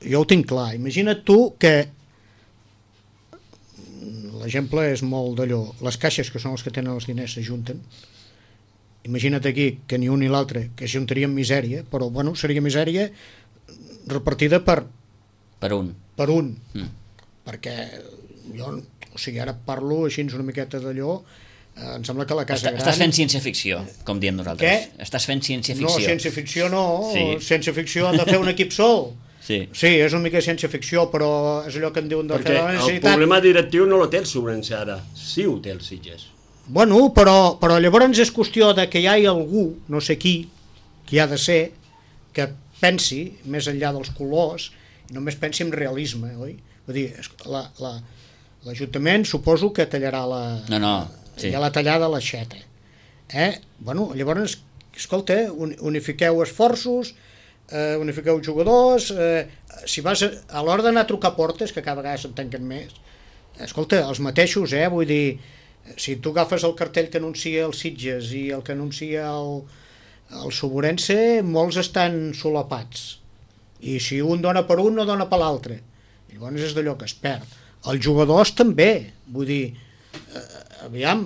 jo ho tinc clar. Imagina't tu que l'exemple és molt d'allò. Les caixes, que són els que tenen els diners, s'ajunten. Imagina't aquí que ni un ni l'altre, que ajuntarien misèria, però bueno, seria misèria repartida per, Per un. per un. Mm. Perquè jo, o sigui, ara parlo així una miqueta d'allò, eh, em sembla que la casa Està, gran... estàs fent ciència-ficció, com diem nosaltres. Què? Estàs fent No, ciència-ficció. ciència-ficció no, Sí. ciència-ficció han de fer un equip sol. Sí. Sí, és una mica ciència-ficció, però és allò que en diuen de Perquè fer la el necessitat. problema directiu no lo té el Sobrense ara, sí ho té el Sitges. Bueno, però, però llavors és qüestió de que hi hagi algú, no sé qui, qui ha de ser, que pensi més enllà dels colors i només pensi en realisme, oi? Vull dir, és- la- la- l'Ajuntament suposo que tallarà la... No, no, sí. Ja la tallada a l'aixeta. Eh? Bueno, llavors, escolta, un- unifiqueu esforços, eh, unifiqueu jugadors, eh, si vas a, a l'hora d'anar a trucar portes, que cada vegada se'n tanquen més, escolta, els mateixos, eh? Vull dir, si tu agafes el cartell que anuncia els Sitges i el que anuncia el, el Soborense, molts estan solapats. I si un dona per un, no dona per l'altre. I llavors és d'allò que es perd. Els jugadors també, vull dir, eh, aviam,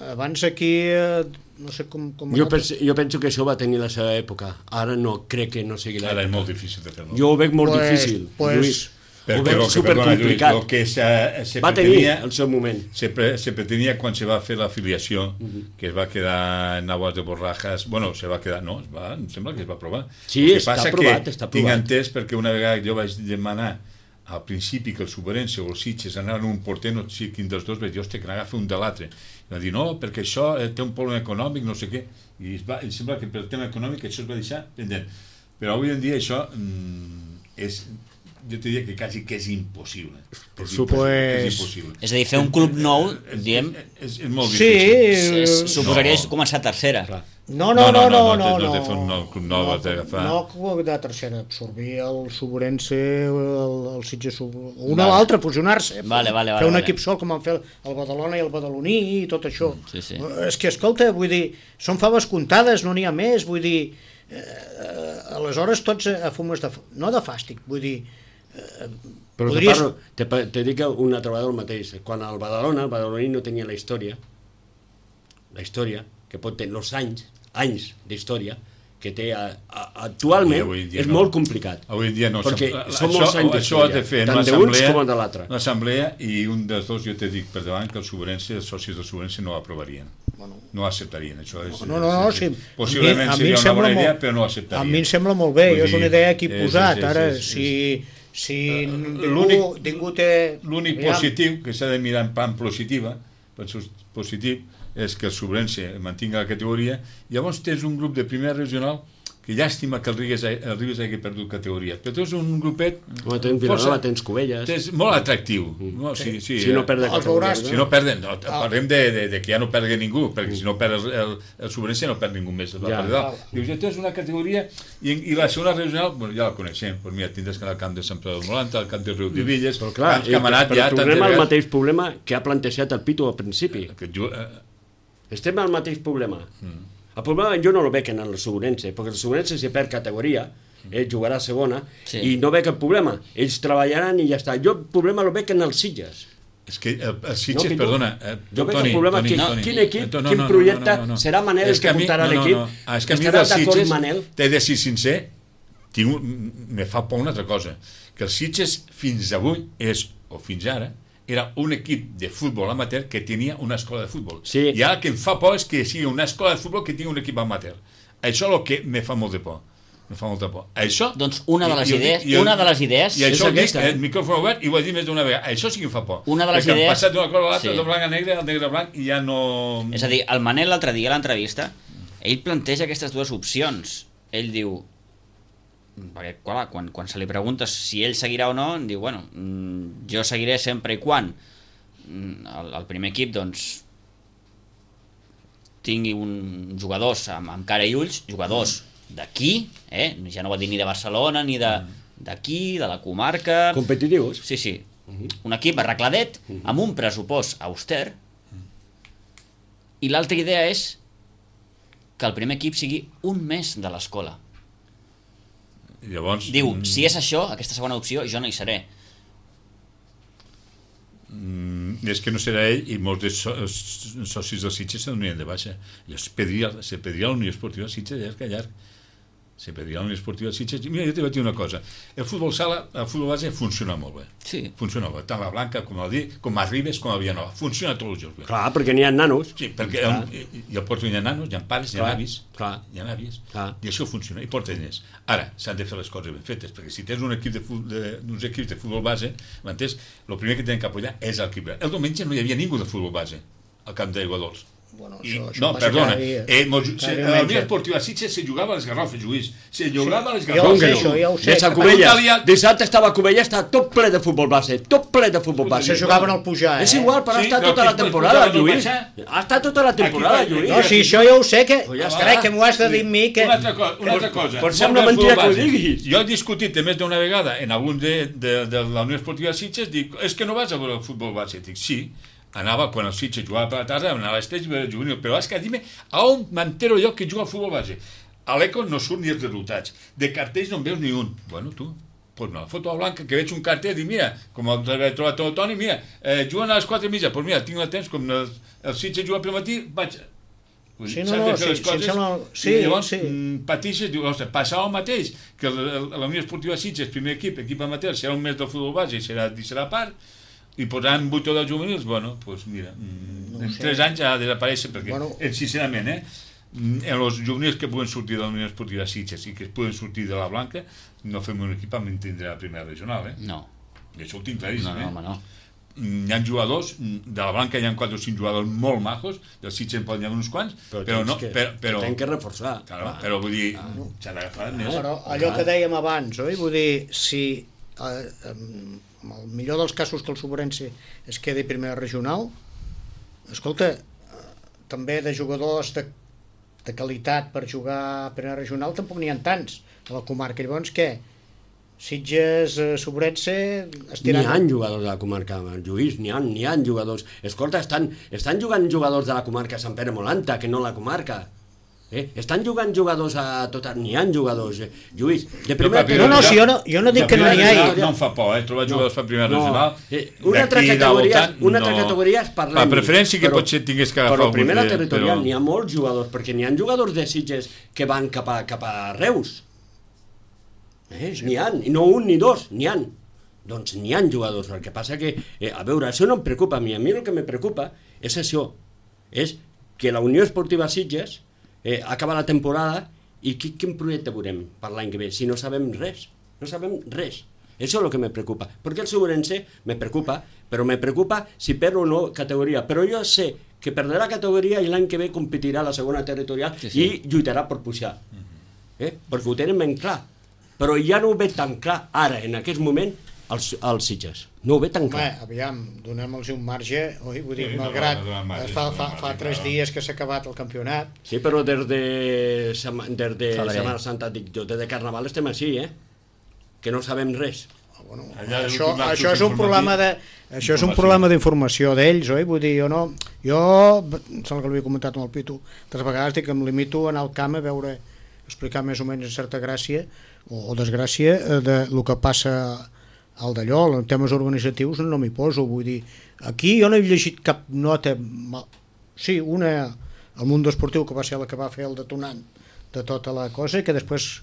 abans aquí, eh, no sé com... com Jo penso, jo penso que això va tenir la seva època, ara no crec que no sigui Ara és l'època. molt difícil de fer-lo. Jo ho veig molt Pues- difícil, pues- Lluís. Ho Perquè veig lo que, perdona, Lluís, supercomplicat. lo que se, se Va tenir pretenia, el seu moment. se, pre, se pretenia quan se va fer l'afiliació, que es va quedar en aguas de borrajas, bueno, se va quedar, no, es va, em sembla que es va aprovar. Sí, El que està passa aprovat, que està tinc aprovat. entès perquè una vegada jo vaig demanar al principi que el Soberense o el Sitges anaven un porter, no sé quin dels dos, vaig dir, hòstia, que n'agafa un de l'altre. I va dir, no, perquè això eh, té un problema econòmic, no sé què, i es va, em sembla que pel tema econòmic això es va deixar pendent. Però avui en dia això mm, és, jo te diria que quasi que és impossible. És supuesto. impossible, que és impossible. És a dir, fer un club nou, diem, És, és molt Sí, difícil. és, eh, suposaria No. començar tercera. Clar. No, no, no, no, no, no, no, de fer un nou club nou, has d'agafar. no, no, de tercera, absorbir el Soborense, el, el Sitges, Sub- una Vale. o l'altra, fusionar-se, Vale, vale, vale, fer un vale. equip sol com van fer el Badalona i el Badaloní i tot això. sí, sí. És que, escolta, vull dir, són faves comptades, no n'hi ha més, vull dir, eh, eh, aleshores tots a, a fumes de, no de fàstic, vull dir, eh, Però podries... te, parlo, te, pa- te dic una trobada del mateix. Quan el Badalona, el Badaloní no tenia la història, la història, que pot tenir els anys, anys d'història, que té a, a, actualment, Avui en dia és no. molt complicat. Avui en dia no. Perquè Això- són molts això, anys això has de fer en tant una d'uns assemblea, com de l'altre. una assemblea i un dels dos, jo te dic per davant, que els Soberense, els socis del Soberense no ho aprovarien. No ho acceptarien. Això és, No, no, no, és, sí. és, possiblement A mi- a mi seria em una bona sembla idea, molt- però no ho acceptarien. A mi em sembla molt bé, Vull és una dir, idea aquí és- posat, és- ara, és- és- si, si ningú, l'únic- ningú té... L'únic Aviam, positiu, que s'ha de mirar en plan positiva, positiu, és que el Sobrense mantinga la categoria. Llavors tens un grup de primera regional que llàstima que el Ribes, el Ribes hagi perdut categoria, però tens un grupet Home, tens Vilanova, tens Cubelles. tens molt atractiu. No, sí, sí, Si no eh, perd de Els veuràs. categoria. si no perden, no, parlem de, de, de que ja no perdui ningú, perquè si no perd el, el, el Sobrense no perd ningú més. El Ja. ja. Dius, ja tens una categoria i, i la segona regional, bueno, ja la coneixem, pues mira, tindràs que anar al camp de Sant Pere del Molanta, al camp de Riu de Villes, Però clar, camps que hem anat però ja tornem tantes al vegades. mateix problema que ha plantejat el Pitu al principi. Que jo, eh, Estem al mateix problema. Mm. El problema jo no lo veig en el Soborense, perquè el Soborense si perd categoria, ell jugarà a segona, Sí. i no veig el problema. Ells treballaran i ja està. Jo el problema lo veig en els Sitges. és que el, el Sitges, No, Pitu? perdona, eh, Jo veig Toni, el problema Toni, que Toni, quin equip, eh, no, quin no, no, projecte no, no, no. serà Manel És el que a mi- portarà no, no, l'equip. no. Ah, és que a mi Estarà del d'acord Sitges, Manel? t'he de ser sincer, tinc un, me fa por una altra cosa, que el Sitges fins avui és, o fins ara, era un equip de futbol amateur que tenia una escola de futbol. Sí. I ara el que em fa por és que sigui una escola de futbol que tingui un equip amateur. Això és el que me fa molt de por. Me fa molta por. Això... Doncs una de les i- i- idees- i- una de les idees I això és ho dic, aquesta, eh? el micròfon obert, i ho he dit més d'una vegada. Això sí que em fa por. Una de les Perquè han idees- passat d'una cosa a l'altra, sí. de blanc a negre, al negre a blanc, i ja no... És a dir, el Manel l'altre dia a l'entrevista ell planteja aquestes dues opcions. Ell diu, perquè clar, quan, quan se li pregunta si ell seguirà o no, diu, bueno, jo seguiré sempre i quan el, el primer equip doncs tingui un jugadors amb, amb cara i ulls, jugadors d'aquí, eh? Ja no va dir ni de Barcelona ni de d'aquí, de la comarca, competitius. Sí, sí, un equip arregladet amb un pressupost auster, i l'altra idea és que el primer equip sigui un mes de l'escola. Llavors, diu, si és això, aquesta segona opció, jo no hi seré. Mm, és que no serà ell, i molts de so, socis dels Sitges se donarien de baixa. I es pediria, se pediria a la Unió Esportiva Sitges llarg a llarg. Se pediria a la Unió Esportiva Sitges. I mira, jo t'he de dir una cosa. El futbol sala, el futbol base funciona molt bé. Sí. Funciona molt bé. Tant la Blanca com el Di, com a Ribes, com a Villanova. Funciona tots els jocs bé. Clar, perquè n'hi ha nanos. Sí, perquè el, i al Porto hi ha nanos, hi ha pares, hi ha avis, clar. Hi ha àvies, clar. I això funciona, i porta diners. Ara, s'han de fer les coses ben fetes, perquè si tens un equip de, de, uns equips de futbol base, m'entens? El primer que tenen que apoyar és l'equip. El diumenge no hi havia ningú de futbol base al camp d'Aigua Dols. Bueno, I, això, això no, perdona, eh, mos, se, a la Unió Esportiva Sitges se jugava a les Garrofes, Lluís, se jugava a les Jo ho sé, Garrofes. això, ja ho sé. Des a Cubelles, dissabte estava a Cubelles, està tot ple de futbol base, tot ple de futbol base. Se jugaven al pujar, eh? És igual, però Sí, està però tota qui la es pot temporada, pujar al Lluís. baixar? Ha estat tota la temporada, Aquí va- Lluís. No, sí, això ja ho sé, que... Pues ja Carai, està. que m'ho has de dir a mi, que... Una altra, co una altra cosa. Pot ser una Sobre el mentira futbol que ho base. diguis. Jo he discutit més d'una vegada en algun de, de, de la Unió Esportiva Sitges, dic, és que no vas a veure el futbol base. Dic, sí, anava quan el Sitges jugava per la tarda, anava a l'Esteix i veure el juvenil, però és que dime a on m'entero jo que juga al futbol base. A l'Eco no surt ni els resultats, de cartells no en veus ni un. Bueno, tu, pues me la foto a Blanca, que veig un cartell i dic, mira, com el he trobat el Toni, mira, eh, juguen a les quatre i mitja, doncs mira, tinc el temps, com el, el Sitges juga pel matí, vaig... Vull dir, Sí, no, s'han no, de fer sí, les coses, sí, sembla- sí, i llavors sí. mm, patixes, diu, ostres, passava el mateix, que el, el, la Unió Esportiva Sitges, primer equip, equip amateur, serà un mes del futbol base i serà, i serà a part, i posaran vuit o deu juvenils, bueno, doncs pues mira, mm, en tres anys ha de desaparèixer, perquè, Bueno. eh, sincerament, eh, mm, en els juvenils que puguen sortir de la Unió Esportiva Sitges i que puguen sortir de la Blanca, no fem un equip amb tindre la primera regional, eh? No, I això ho tinc claríssim, no, no, eh? home, no. Mm, hi ha jugadors, mm, de la Blanca hi ha quatre o cinc jugadors molt majos, del Sitges en poden haver uns quants, però, però tens no, que, però, però, tenen que reforçar. claro, però vull dir, s'ha d'agafar més. Però allò que dèiem abans, oi? Vull dir, si eh, en el millor dels casos que el Sobrense es quedi primera regional, escolta, eh, també de jugadors de, de qualitat per jugar a primera regional tampoc n'hi ha tants a la comarca. Llavors, què? Sitges, eh, Sobrense... N'hi estiran... ha jugadors de la comarca, Lluís, n'hi ha, n'hi ha jugadors. Escolta, estan, estan jugant jugadors de la comarca Sant Pere Molanta, que no la comarca. Eh? Estan jugant jugadors a tota... N'hi ha jugadors, eh? Lluís. De primera... No, no, si jo no, jo no dic que no n'hi hagi. No em fa por, eh? Trobar jugadors per primera No. regional. Eh, una altra d'aquí categoria, del voltant, una altra no. categoria és parlem. Per preferència que potser tingués que agafar Però algun primera de- territorial però- n'hi ha molts jugadors, perquè n'hi ha jugadors de Sitges que van cap a, cap a Reus. Eh? N'hi ha, i no un ni dos, n'hi ha. Doncs n'hi ha jugadors, el que passa que, eh, a veure, això no em preocupa a mi, a mi el que me preocupa és això, és que la Unió Esportiva Sitges eh, acaba la temporada i qui, quin projecte veurem per l'any que ve, si no sabem res, no sabem res. Això és el que me preocupa, perquè el Sobrense me preocupa, però me preocupa si perd o no categoria, però jo sé que perdrà categoria i l'any que ve competirà a la segona territorial Sí, sí. i lluitarà per pujar, eh? perquè ho tenen ben clar, però ja no ho veig tan clar ara, en aquest moment, els, els Sitges. No ho veig tan Home, clar. aviam, donem-los un marge, oi? Vull dir, Sí, no, malgrat no, no, no, eh, fa, no, fa, no, fa no, tres no. dies que s'ha acabat el campionat. Sí, però des de, sema- des de Febrer. Setmana Santa, dic jo, des de Carnaval estem així, eh? Que no sabem res. Bueno, Allà deu això, tornar això tot és un problema de això és un Informació. problema d'informació d'ells, oi? Vull dir, jo no jo, sembla que l'havia comentat amb el Pitu altres vegades, dic que em limito a anar al camp a veure, explicar més o menys en certa gràcia o, o desgràcia eh, de lo que passa al d'allò, en temes organitzatius no m'hi poso, vull dir, aquí jo no he llegit cap nota mal. Sí, una al Mundo Esportiu, que va ser la que va fer el detonant de tota la cosa, que després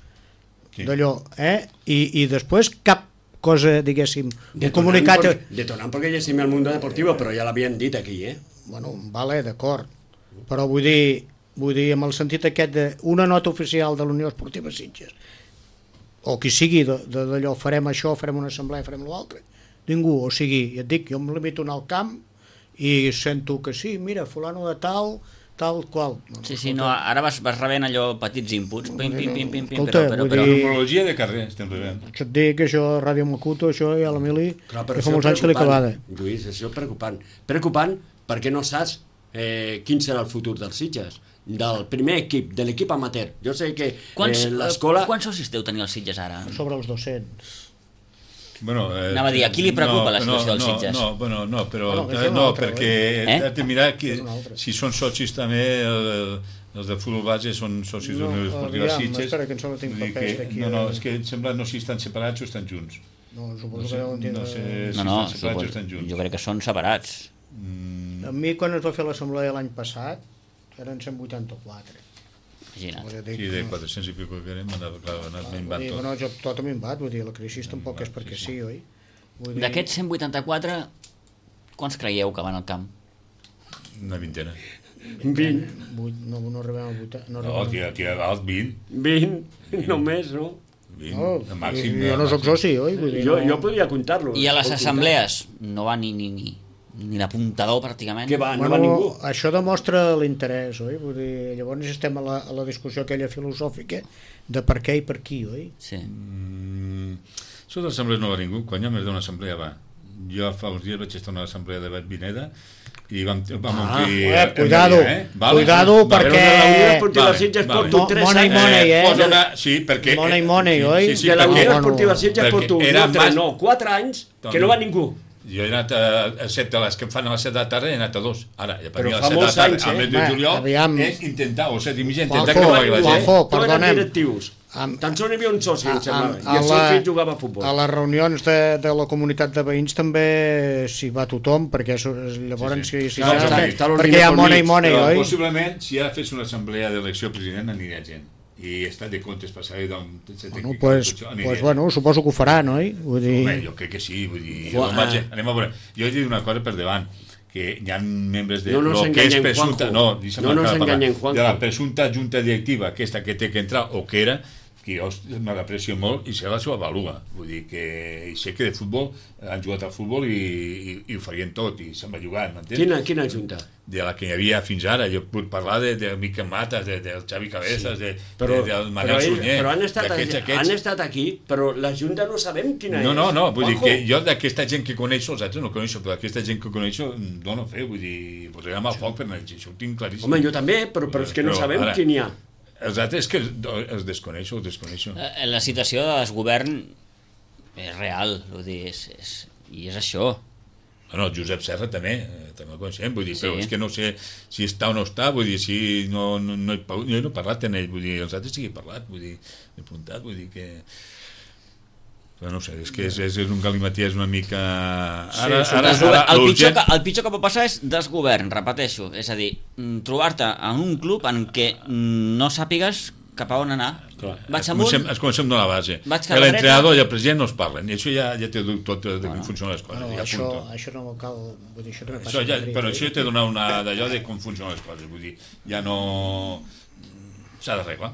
Sí. d'allò, eh? I, i després cap cosa, diguéssim, un Detonant comunicat... por- Detonant perquè llegim el Mundo Deportivo, però ja l'havien dit aquí, eh? Bueno, vale, d'acord, però vull dir, vull dir, amb el sentit aquest d'una nota oficial de la Unió Esportiva Sitges, o qui sigui de- de- d'allò, farem això, farem una assemblea, farem l'altre, ningú, o sigui, ja et dic, jo em limito a anar al camp i sento que sí, mira, fulano de tal tal qual. No, Sí, sí, no, ara vas, vas rebent allò petits inputs, pim, pim, pim, pim, pim, Escolta, però, però, vull però... dir- Cronologia de carrer estem rebent. Això et dic que això, Ràdio Macuto, això ja l'Emili, Clar, que però fa això molts anys que li preocupant, acabada. Lluís, això és preocupant. Preocupant perquè no saps eh, quin serà el futur dels Sitges, del primer equip, de l'equip amateur. Jo sé que Quants, eh, l'escola... quants socis deu tenir els Sitges ara? Sobre els dos-cents. Bueno, eh, Anava a dir, a qui li preocupa la situació no, dels no, Sitges? No, bueno, no, però Bueno, no, és una no altra, perquè eh? has de mirar que, És una altra. si són socis també, el, els de futbol base són socis No, de l'Unió Esportiva aviam, Sitges. espera, que em sembla que tinc Vull dir papers que- d'aquí, No, no, eh. és que em sembla no si estan separats o estan junts. No, suposo No sé, que deuen tindre... no sé. No, no, si estan separats o suposo, estan junts. jo crec que són separats. Mm, A mi, quan es va fer l'assemblea l'any passat, eren cent vuitanta-quatre. Imagina't. Vull dir, sí, de quatre-cents i pico que érem, han anat, clar, han anat vull minvant dir, tot. bueno, jo, tot a minvat, vull dir, la crisi tampoc és perquè sí, oi? Vull dir, D'aquests cent vuitanta-quatre, quants creieu que van al camp? Una vintena. vint, vuit, no, no arribem a vuit... No, No, arribem tira, tira dalt, vint. vint, només, no? vint, No, el màxim. jo no el sóc màxim. soci, oi? Vull dir, Jo, no... jo podria comptar-lo. I a les Pot comptar. assemblees no va ni, ni, ni, ni l'apuntador pràcticament. Què va? No Bueno, va ningú. això demostra l'interès, oi? Vull dir, llavors estem a la, a la discussió aquella filosòfica de per què i per qui, oi? Sí. Mm, això de l'assemblea no va ningú, quan hi ha més d'una assemblea va. Jo fa uns dies vaig estar a una assemblea de Bet Vineda i vam, vam Ah, omplir... eh, el cuidado, dia, eh? Vale? cuidado, Vale. perquè- Però de la Unió Esportiva Vale, Sitges vale. porto Mo- tres money, anys. money, eh? Posa una... Sí, perquè... Money, money, sí, oi? Sí, sí, De la Unió perquè, Bueno, Esportiva Sitges perquè porto era no, tres, mas- no, quatre anys que no va ningú. jo he anat a, a set de les que em fan a les set de la tarda he anat a dos. Ara, ja per Però mi a fa les set de la molts tarda, anys, eh? al mes de Va, juliol, aviam. és intentar, o set i mitja, Juanjo, intentar que no vagi la gent. Juanjo, No eren perdonem. directius. Amb- Tan sols hi havia un soci, em sembla, Amb- i el seu fill jugava a futbol. A les reunions de, de la comunitat de veïns també s'hi va tothom, perquè això, llavors Sí, sí. si, si No, s'ha de està- fer- està l'ordine perquè hi ha pel money, mig, money, Però oi? possiblement, si ara fes una assemblea d'elecció president, aniria gent. I estat de comptes passaré d'un... Bueno, pues, pues, bueno, suposo que ho faran, oi? Vull dir... Home, jo crec que sí, vull dir... Juan- Jo vaig, anem a veure. Jo he dit una cosa per davant, que hi ha membres de No nos lo que és enganyem, presumpta... Juanjo. No, deixa'm No nos acabar de parlar. enganyem, Juanjo. De la presumpta junta directiva, aquesta que té que entrar, o que era, que jo me l'aprecio molt i se la seva avalua. Vull dir que i sé que de futbol han jugat al futbol i, i, i ho farien tot i se'n va jugar, m'entens? Quina, quina junta? De la que hi havia fins ara, jo puc parlar de, de Miquel Matas, de, del Xavi Cabezas, sí. de, Però, de, del però, Manel ells, Sunyer, però han, estat, d'aquests, han aquests. estat aquí, però la junta no sabem quina No, és. no, no, vull dir Juanjo. que jo d'aquesta gent que coneixo, els altres no coneixo, però aquesta gent que coneixo mm, dono fe, vull dir, posarem al foc per anar, això ho tinc claríssim. Home, jo també, però, però és que no Però, sabem ara, quin hi ha. Els altres que els desconeixo, els desconeixo. Eh, La situació de desgovern és real, vull dir, és, és, i és això. Bueno, el Josep Serra també, eh, també el coneixem, vull dir, Sí. però és que no sé si està o no està, vull dir, si no, no, no, he, jo no he parlat amb ell, vull dir, els altres sí que he parlat, vull dir, he apuntat, vull dir que... Però no ho sé, és que és, és un galimatí, és una mica... Ara, Sí, ara, Desgovern- ara, el, pitjor l'urgent- que, el pitjor que pot passar és desgovern, repeteixo. És a dir, mm, trobar-te en un club en què mm, no sàpigues cap a on anar. Clar, Vaig es amunt, comencem, es comencem de la base. Vaig cap a L'entrenador i el president no es parlen, i això ja, ja té tot de com funcionen les coses. Bueno, ja això, punto. això no cal... Vull dir, això també passa Això ja, a Madrid, però oi? això ja t'he donat una d'allò de com funcionen les coses, vull dir, ja no... S'ha d'arreglar,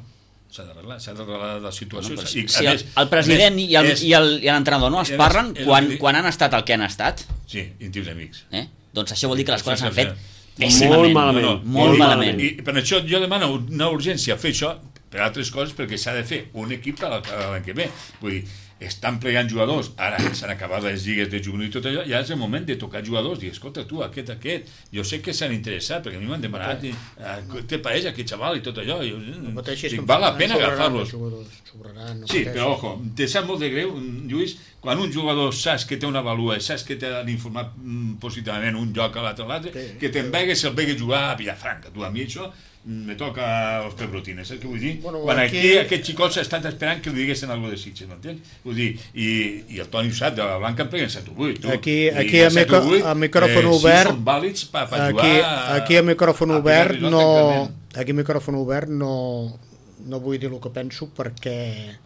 s'ha d'arreglar, s'ha d'arreglar la situació. Bueno, però i, si a el, més- el president a més, i el- és- i el- i l'entrenador no es i a més, parlen és quan, el que dic- quan han estat el que han estat, Sí, íntims amics. eh? doncs això vol dir que les Això coses és s'han fet cert. pèssimament. Molt malament. No, no, Molt i- malament. I per això jo demano una urgència a fer això per altres coses, perquè s'ha de fer un equip per l'any que ve. Vull dir, estan plegant jugadors, ara s'han acabat les lligues de juvenil i tot allò, ja és el moment de tocar jugadors, dir, escolta tu, aquest, aquest, jo sé que s'han interessat, perquè a mi m'han demanat, i, ah, què te pareix aquest xaval i tot allò, i, No pateixis, dic, que val la en pena sobraran agafar-los. els jugadors, sobraran, no Sí, pateixis. però ojo, te sap molt de greu, Lluís, quan un jugador saps que té una valua, saps que t'han informat mm, positivament un lloc a l'altre, a l'altre, Sí. que te'n vegues, se'l vegues jugar a Villafranca, tu a mi això mm, me toca els pebrotines, saps què vull dir? Bueno, quan aquí, aquí- aquests xicots estan esperant que li diguessin alguna cosa de Sitges, m'entens? Vull dir, i, i el Toni ho sap, de la Blanca em pleguen set o vuit, tu. Aquí- I aquí de a set o micro- vuit, a micròfon eh, obert, sí, són vàlids per pa Aquí, jugar... aquí a micròfon a obert pillar-li no, tranquil·lament. aquí a micròfon obert no, no vull dir el que penso perquè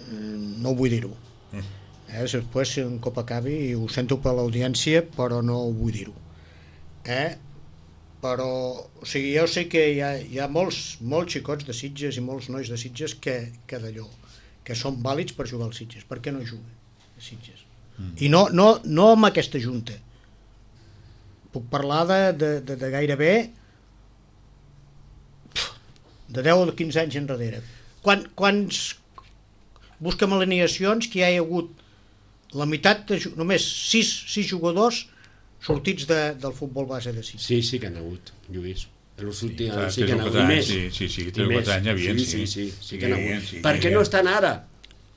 mm, no vull dir-ho. Eh, després si un cop acabi i ho sento per l'audiència però no ho vull dir-ho. Eh? Però o sigui, jo sé que hi ha, hi ha molts, molts xicots de Sitges i molts nois de Sitges que, que d'allò, que són vàlids per jugar als Sitges. Per què no juguen a Sitges? Mm. I no, no, no amb aquesta junta. Puc parlar de, de, de, de gairebé de deu o de quinze anys enrere. Quan, quants busquem alineacions que hi ha hagut la meitat, de, només sis, sis jugadors sortits de, del futbol base de Sitges. Sí, sí que han hagut, Lluís. Els últims Fa sí que han tres o hagut. quatre I anys, més. sí, sí, sí, I tres o més. quatre anys hi havia, sí. sí. Sí, sí, sí que Sí, han hagut. sí, Per què sí. no estan ara?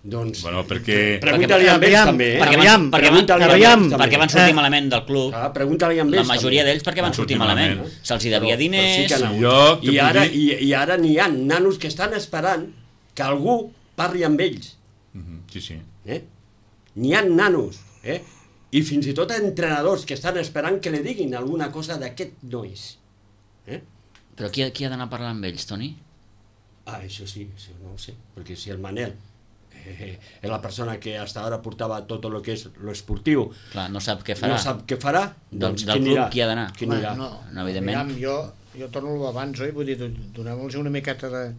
Doncs... Bueno, perquè... Pregunta-li a ells Aviam, també. eh? perquè van- aviam, perquè van- Pregunta-li a aviam, ells també. perquè van sortir Eh. malament del club. Ah, pregunta-li a ells La majoria també. d'ells perquè van Van sortir sortir malament. malament. Se'ls hi devia Però- però diners... sí que han hagut. Jo te I puc ara, dir- i, I ara n'hi ha nanos que estan esperant que algú parli amb ells. Mhm, sí, sí. Eh? N'hi ha nanos, eh? I fins i tot entrenadors que estan esperant que li diguin alguna cosa d'aquest nois. Eh? Però qui, qui ha d'anar a parlar amb ells, Toni? Ah, això sí, això no ho sé, perquè si el Manel eh, és la persona que hasta ara portava tot el que és lo esportiu, Clar, no sap què farà. no sap què farà, Del- doncs del qui club anirà? qui ha d'anar? Qui anirà? no, No, evidentment. aviam, jo, jo torno abans, oi? Vull dir, donem-los una miqueta de,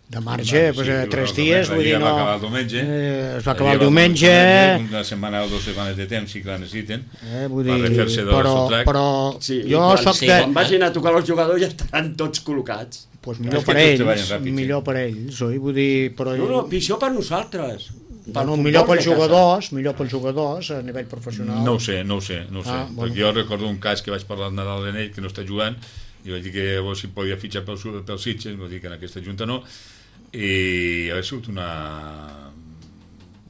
de marge, Sí, pues, sí, eh, tres la- dies, la vull dir, lliga no... va acabar el diumenge. Eh, es va La acabar el lliga va diumenge, Una setmana o dues setmanes de temps sí que la necessiten. eh, vull Per dir, refer-se del però, sotrac. però Sí, jo quan, soc sí, de... quan vagin a tocar els jugadors ja estaran tots col·locats. Pues És millor que per tots treballen ells, ràpid, sí. millor per ells, oi? Vull dir, però... No, no, pitjor per nosaltres. Pel Bueno, futbol millor de pels casa. jugadors, millor pels jugadors a nivell professional. No ho sé, no ho sé, no ho sé. Ah, bueno. Perquè jo recordo un cas que vaig parlar al Nadal de ell, que no està jugant, i vaig dir que llavors si podia fitxar pel, pel Sitges, vaig dir que en aquesta junta no, i ha sigut una...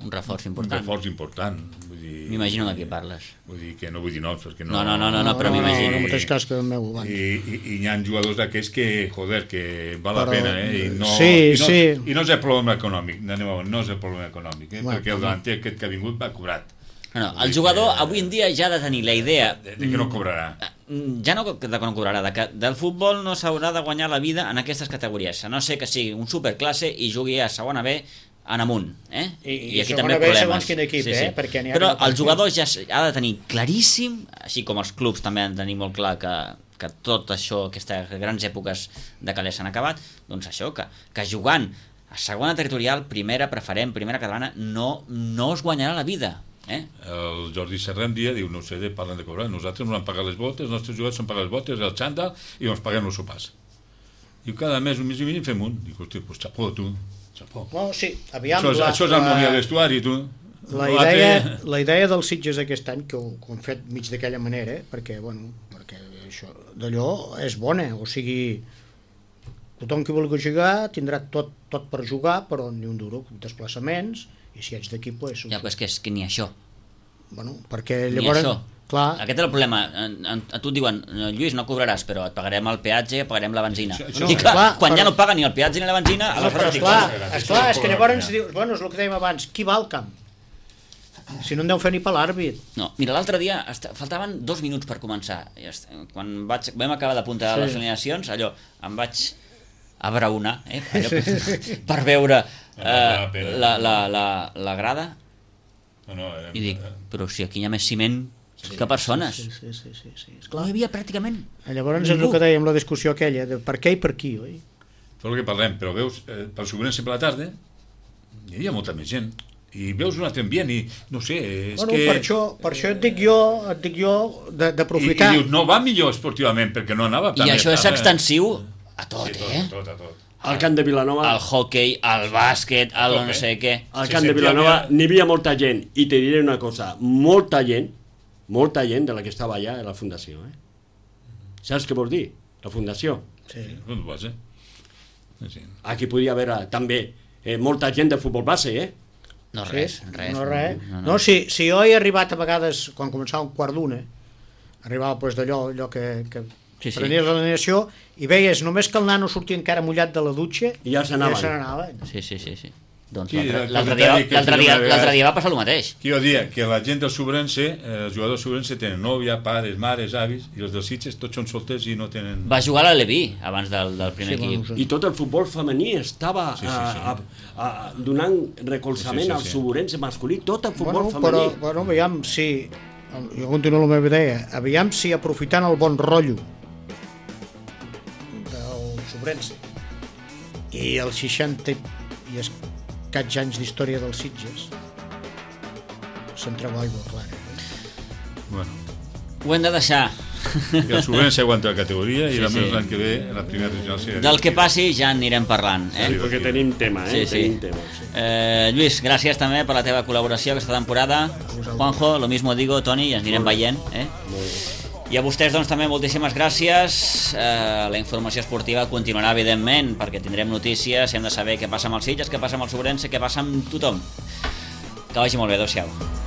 Un reforç un important. reforç important. Vull dir, M'imagino de qui parles. Vull dir que no vull dir noms, perquè no... No, no, no, no, no, però no, m'imagino. no, no, mateix cas que el meu abans. I, i, i hi ha jugadors d'aquests que, joder, que val la Però- pena, eh? I no, sí, i no, sí. I no és el problema econòmic, anem a veure, no és el problema econòmic, eh? Bueno, perquè el davanter aquest que ha vingut va cobrat. No, no, Vull el dir jugador que- avui en dia ja ha de tenir la idea De, de que no cobrarà. mm, ja no de que no cobrarà, de que del futbol no s'haurà de guanyar la vida en aquestes categories, a no ser que sigui un superclasse i jugui a segona B en amunt, eh? I- i segona B segons quin equip, eh? Perquè n'hi ha Però que no el pot jugador ja s- ha de tenir claríssim, així com els clubs també han de tenir molt clar que, que tot això, aquestes grans èpoques de calés s'han acabat, doncs això, que, que jugant a segona territorial, primera, preferent, primera catalana, no, no es guanyarà la vida, eh? El Jordi Serra un dia diu, no sé, de, parlen de cobrar, nosaltres ens han pagat les botes, els nostres jugadors han pagat les botes, el xandall, i ens paguem els sopars. Diu, cada mes, un mes i mig, en fem un. Dic, hòstia, doncs xapó, tu, xapó. No, sí, aviam... Això, és- la, això és harmonia de vestuari, tu. La L'altre- idea, la idea dels Sitges aquest any, que ho, que ho han fet mig d'aquella manera, eh? perquè, bueno, perquè això d'allò és bona, o sigui, tothom que vulgui jugar tindrà tot, tot per jugar, però ni un duro, desplaçaments, i si ets d'aquí, pues, Ja, però és que, és que ni això. bueno, perquè Ni llavors, això. clar, Aquest és el problema. En- en- A tu et diuen, Lluís, no cobraràs, però et pagarem el peatge, pagarem la benzina. Això- això- I clar, clar, quan però- ja no et paguen ni el peatge ni la benzina, no, aleshores però dic, esclar, bueno, esclar, és que llavors ja. dius, bueno, és el que dèiem abans, qui va al camp? Si no en deu fer ni per l'àrbit. No, mira, l'altre dia est- faltaven dos minuts per començar. I est- Quan vaig, vam acabar d'apuntar Sí. les alineacions, allò, em vaig abraonar, eh, allò, per, per veure eh, la, la, la, la grada No, no, eh, i dic, però si aquí hi ha més ciment que persones. Sí, sí, sí, sí, sí. No Esclar. hi havia pràcticament Llavors és el ningú. que dèiem, la discussió aquella, de per què i per qui, oi? Tot el que parlem, però veus, eh, pel Sobrense per la tarda hi havia molta més gent i veus un altre ambient i no sé, és Bueno, que... per això, per això et dic jo, et dic jo de- I, d'aprofitar. i dius, no va millor esportivament perquè no anava I això és tan bé. extensiu a tot, Sí, tot, eh? tot, a tot. Al camp de Vilanova, El hockey, el bàsquet, el hockey. no sé què. al Sí, camp de sentia Vilanova bien. n'hi havia molta gent, i te diré una cosa, molta gent, molta gent de la que estava allà a la fundació, eh? Saps què vol dir? La fundació. Sí. No ho sé. Sí. Aquí podia haver també eh, molta gent de futbol base, eh? No Sí, res, res. no, res. No, No, si, si jo he arribat a vegades, quan començava un quart d'una, arribava pues, d'allò allò que, que Sí, sí. prenies l'alineació i veies només que el nano sortia encara mullat de la dutxa I ja se n'anaven. ja se n'anaven. Sí, sí, sí, sí. Doncs Sí, l'altre el l'altre comentari dia, que l'altre fèiem dia, una vegada- l'altre dia va passar el mateix. Que jo dia que la gent del Sobrense, eh, els jugadors del Sobrense tenen nòvia, pares, mares, avis, i els dels Sitges tots són solters i no tenen... Va jugar a l'Aleví abans del, del primer Sí, equip. bueno, I tot el futbol femení estava Sí, sí, sí. A, a, a, donant recolzament Sí, sí, al sí. Sobrense masculí, tot el futbol Bueno, femení. però, bueno, aviam si, jo continuo la meva idea, aviam si aprofitant el bon rotllo del Sobrense i els seixanta i escaig anys d'història dels Sitges se'n treu aigua clara. Eh? Bueno, Ho hem de deixar. I el Sobrense aguanta la categoria i Sí, sí, sí. l'any que ve la primera regional serà... Del que passi ja en anirem parlant. Eh? Sí, perquè tenim tema, eh? Sí, sí. Tenim tema, sí. Eh, Lluís, gràcies també per la teva col·laboració aquesta temporada. Juanjo, lo mismo digo, Toni, i ens anirem veient. Eh? I a vostès, doncs, també moltíssimes gràcies. Eh, la informació esportiva continuarà, evidentment, perquè tindrem notícies, hem de saber què passa amb els Sitges, què passa amb el Sobrense, què passa amb tothom. Que vagi molt bé, adéu-siau.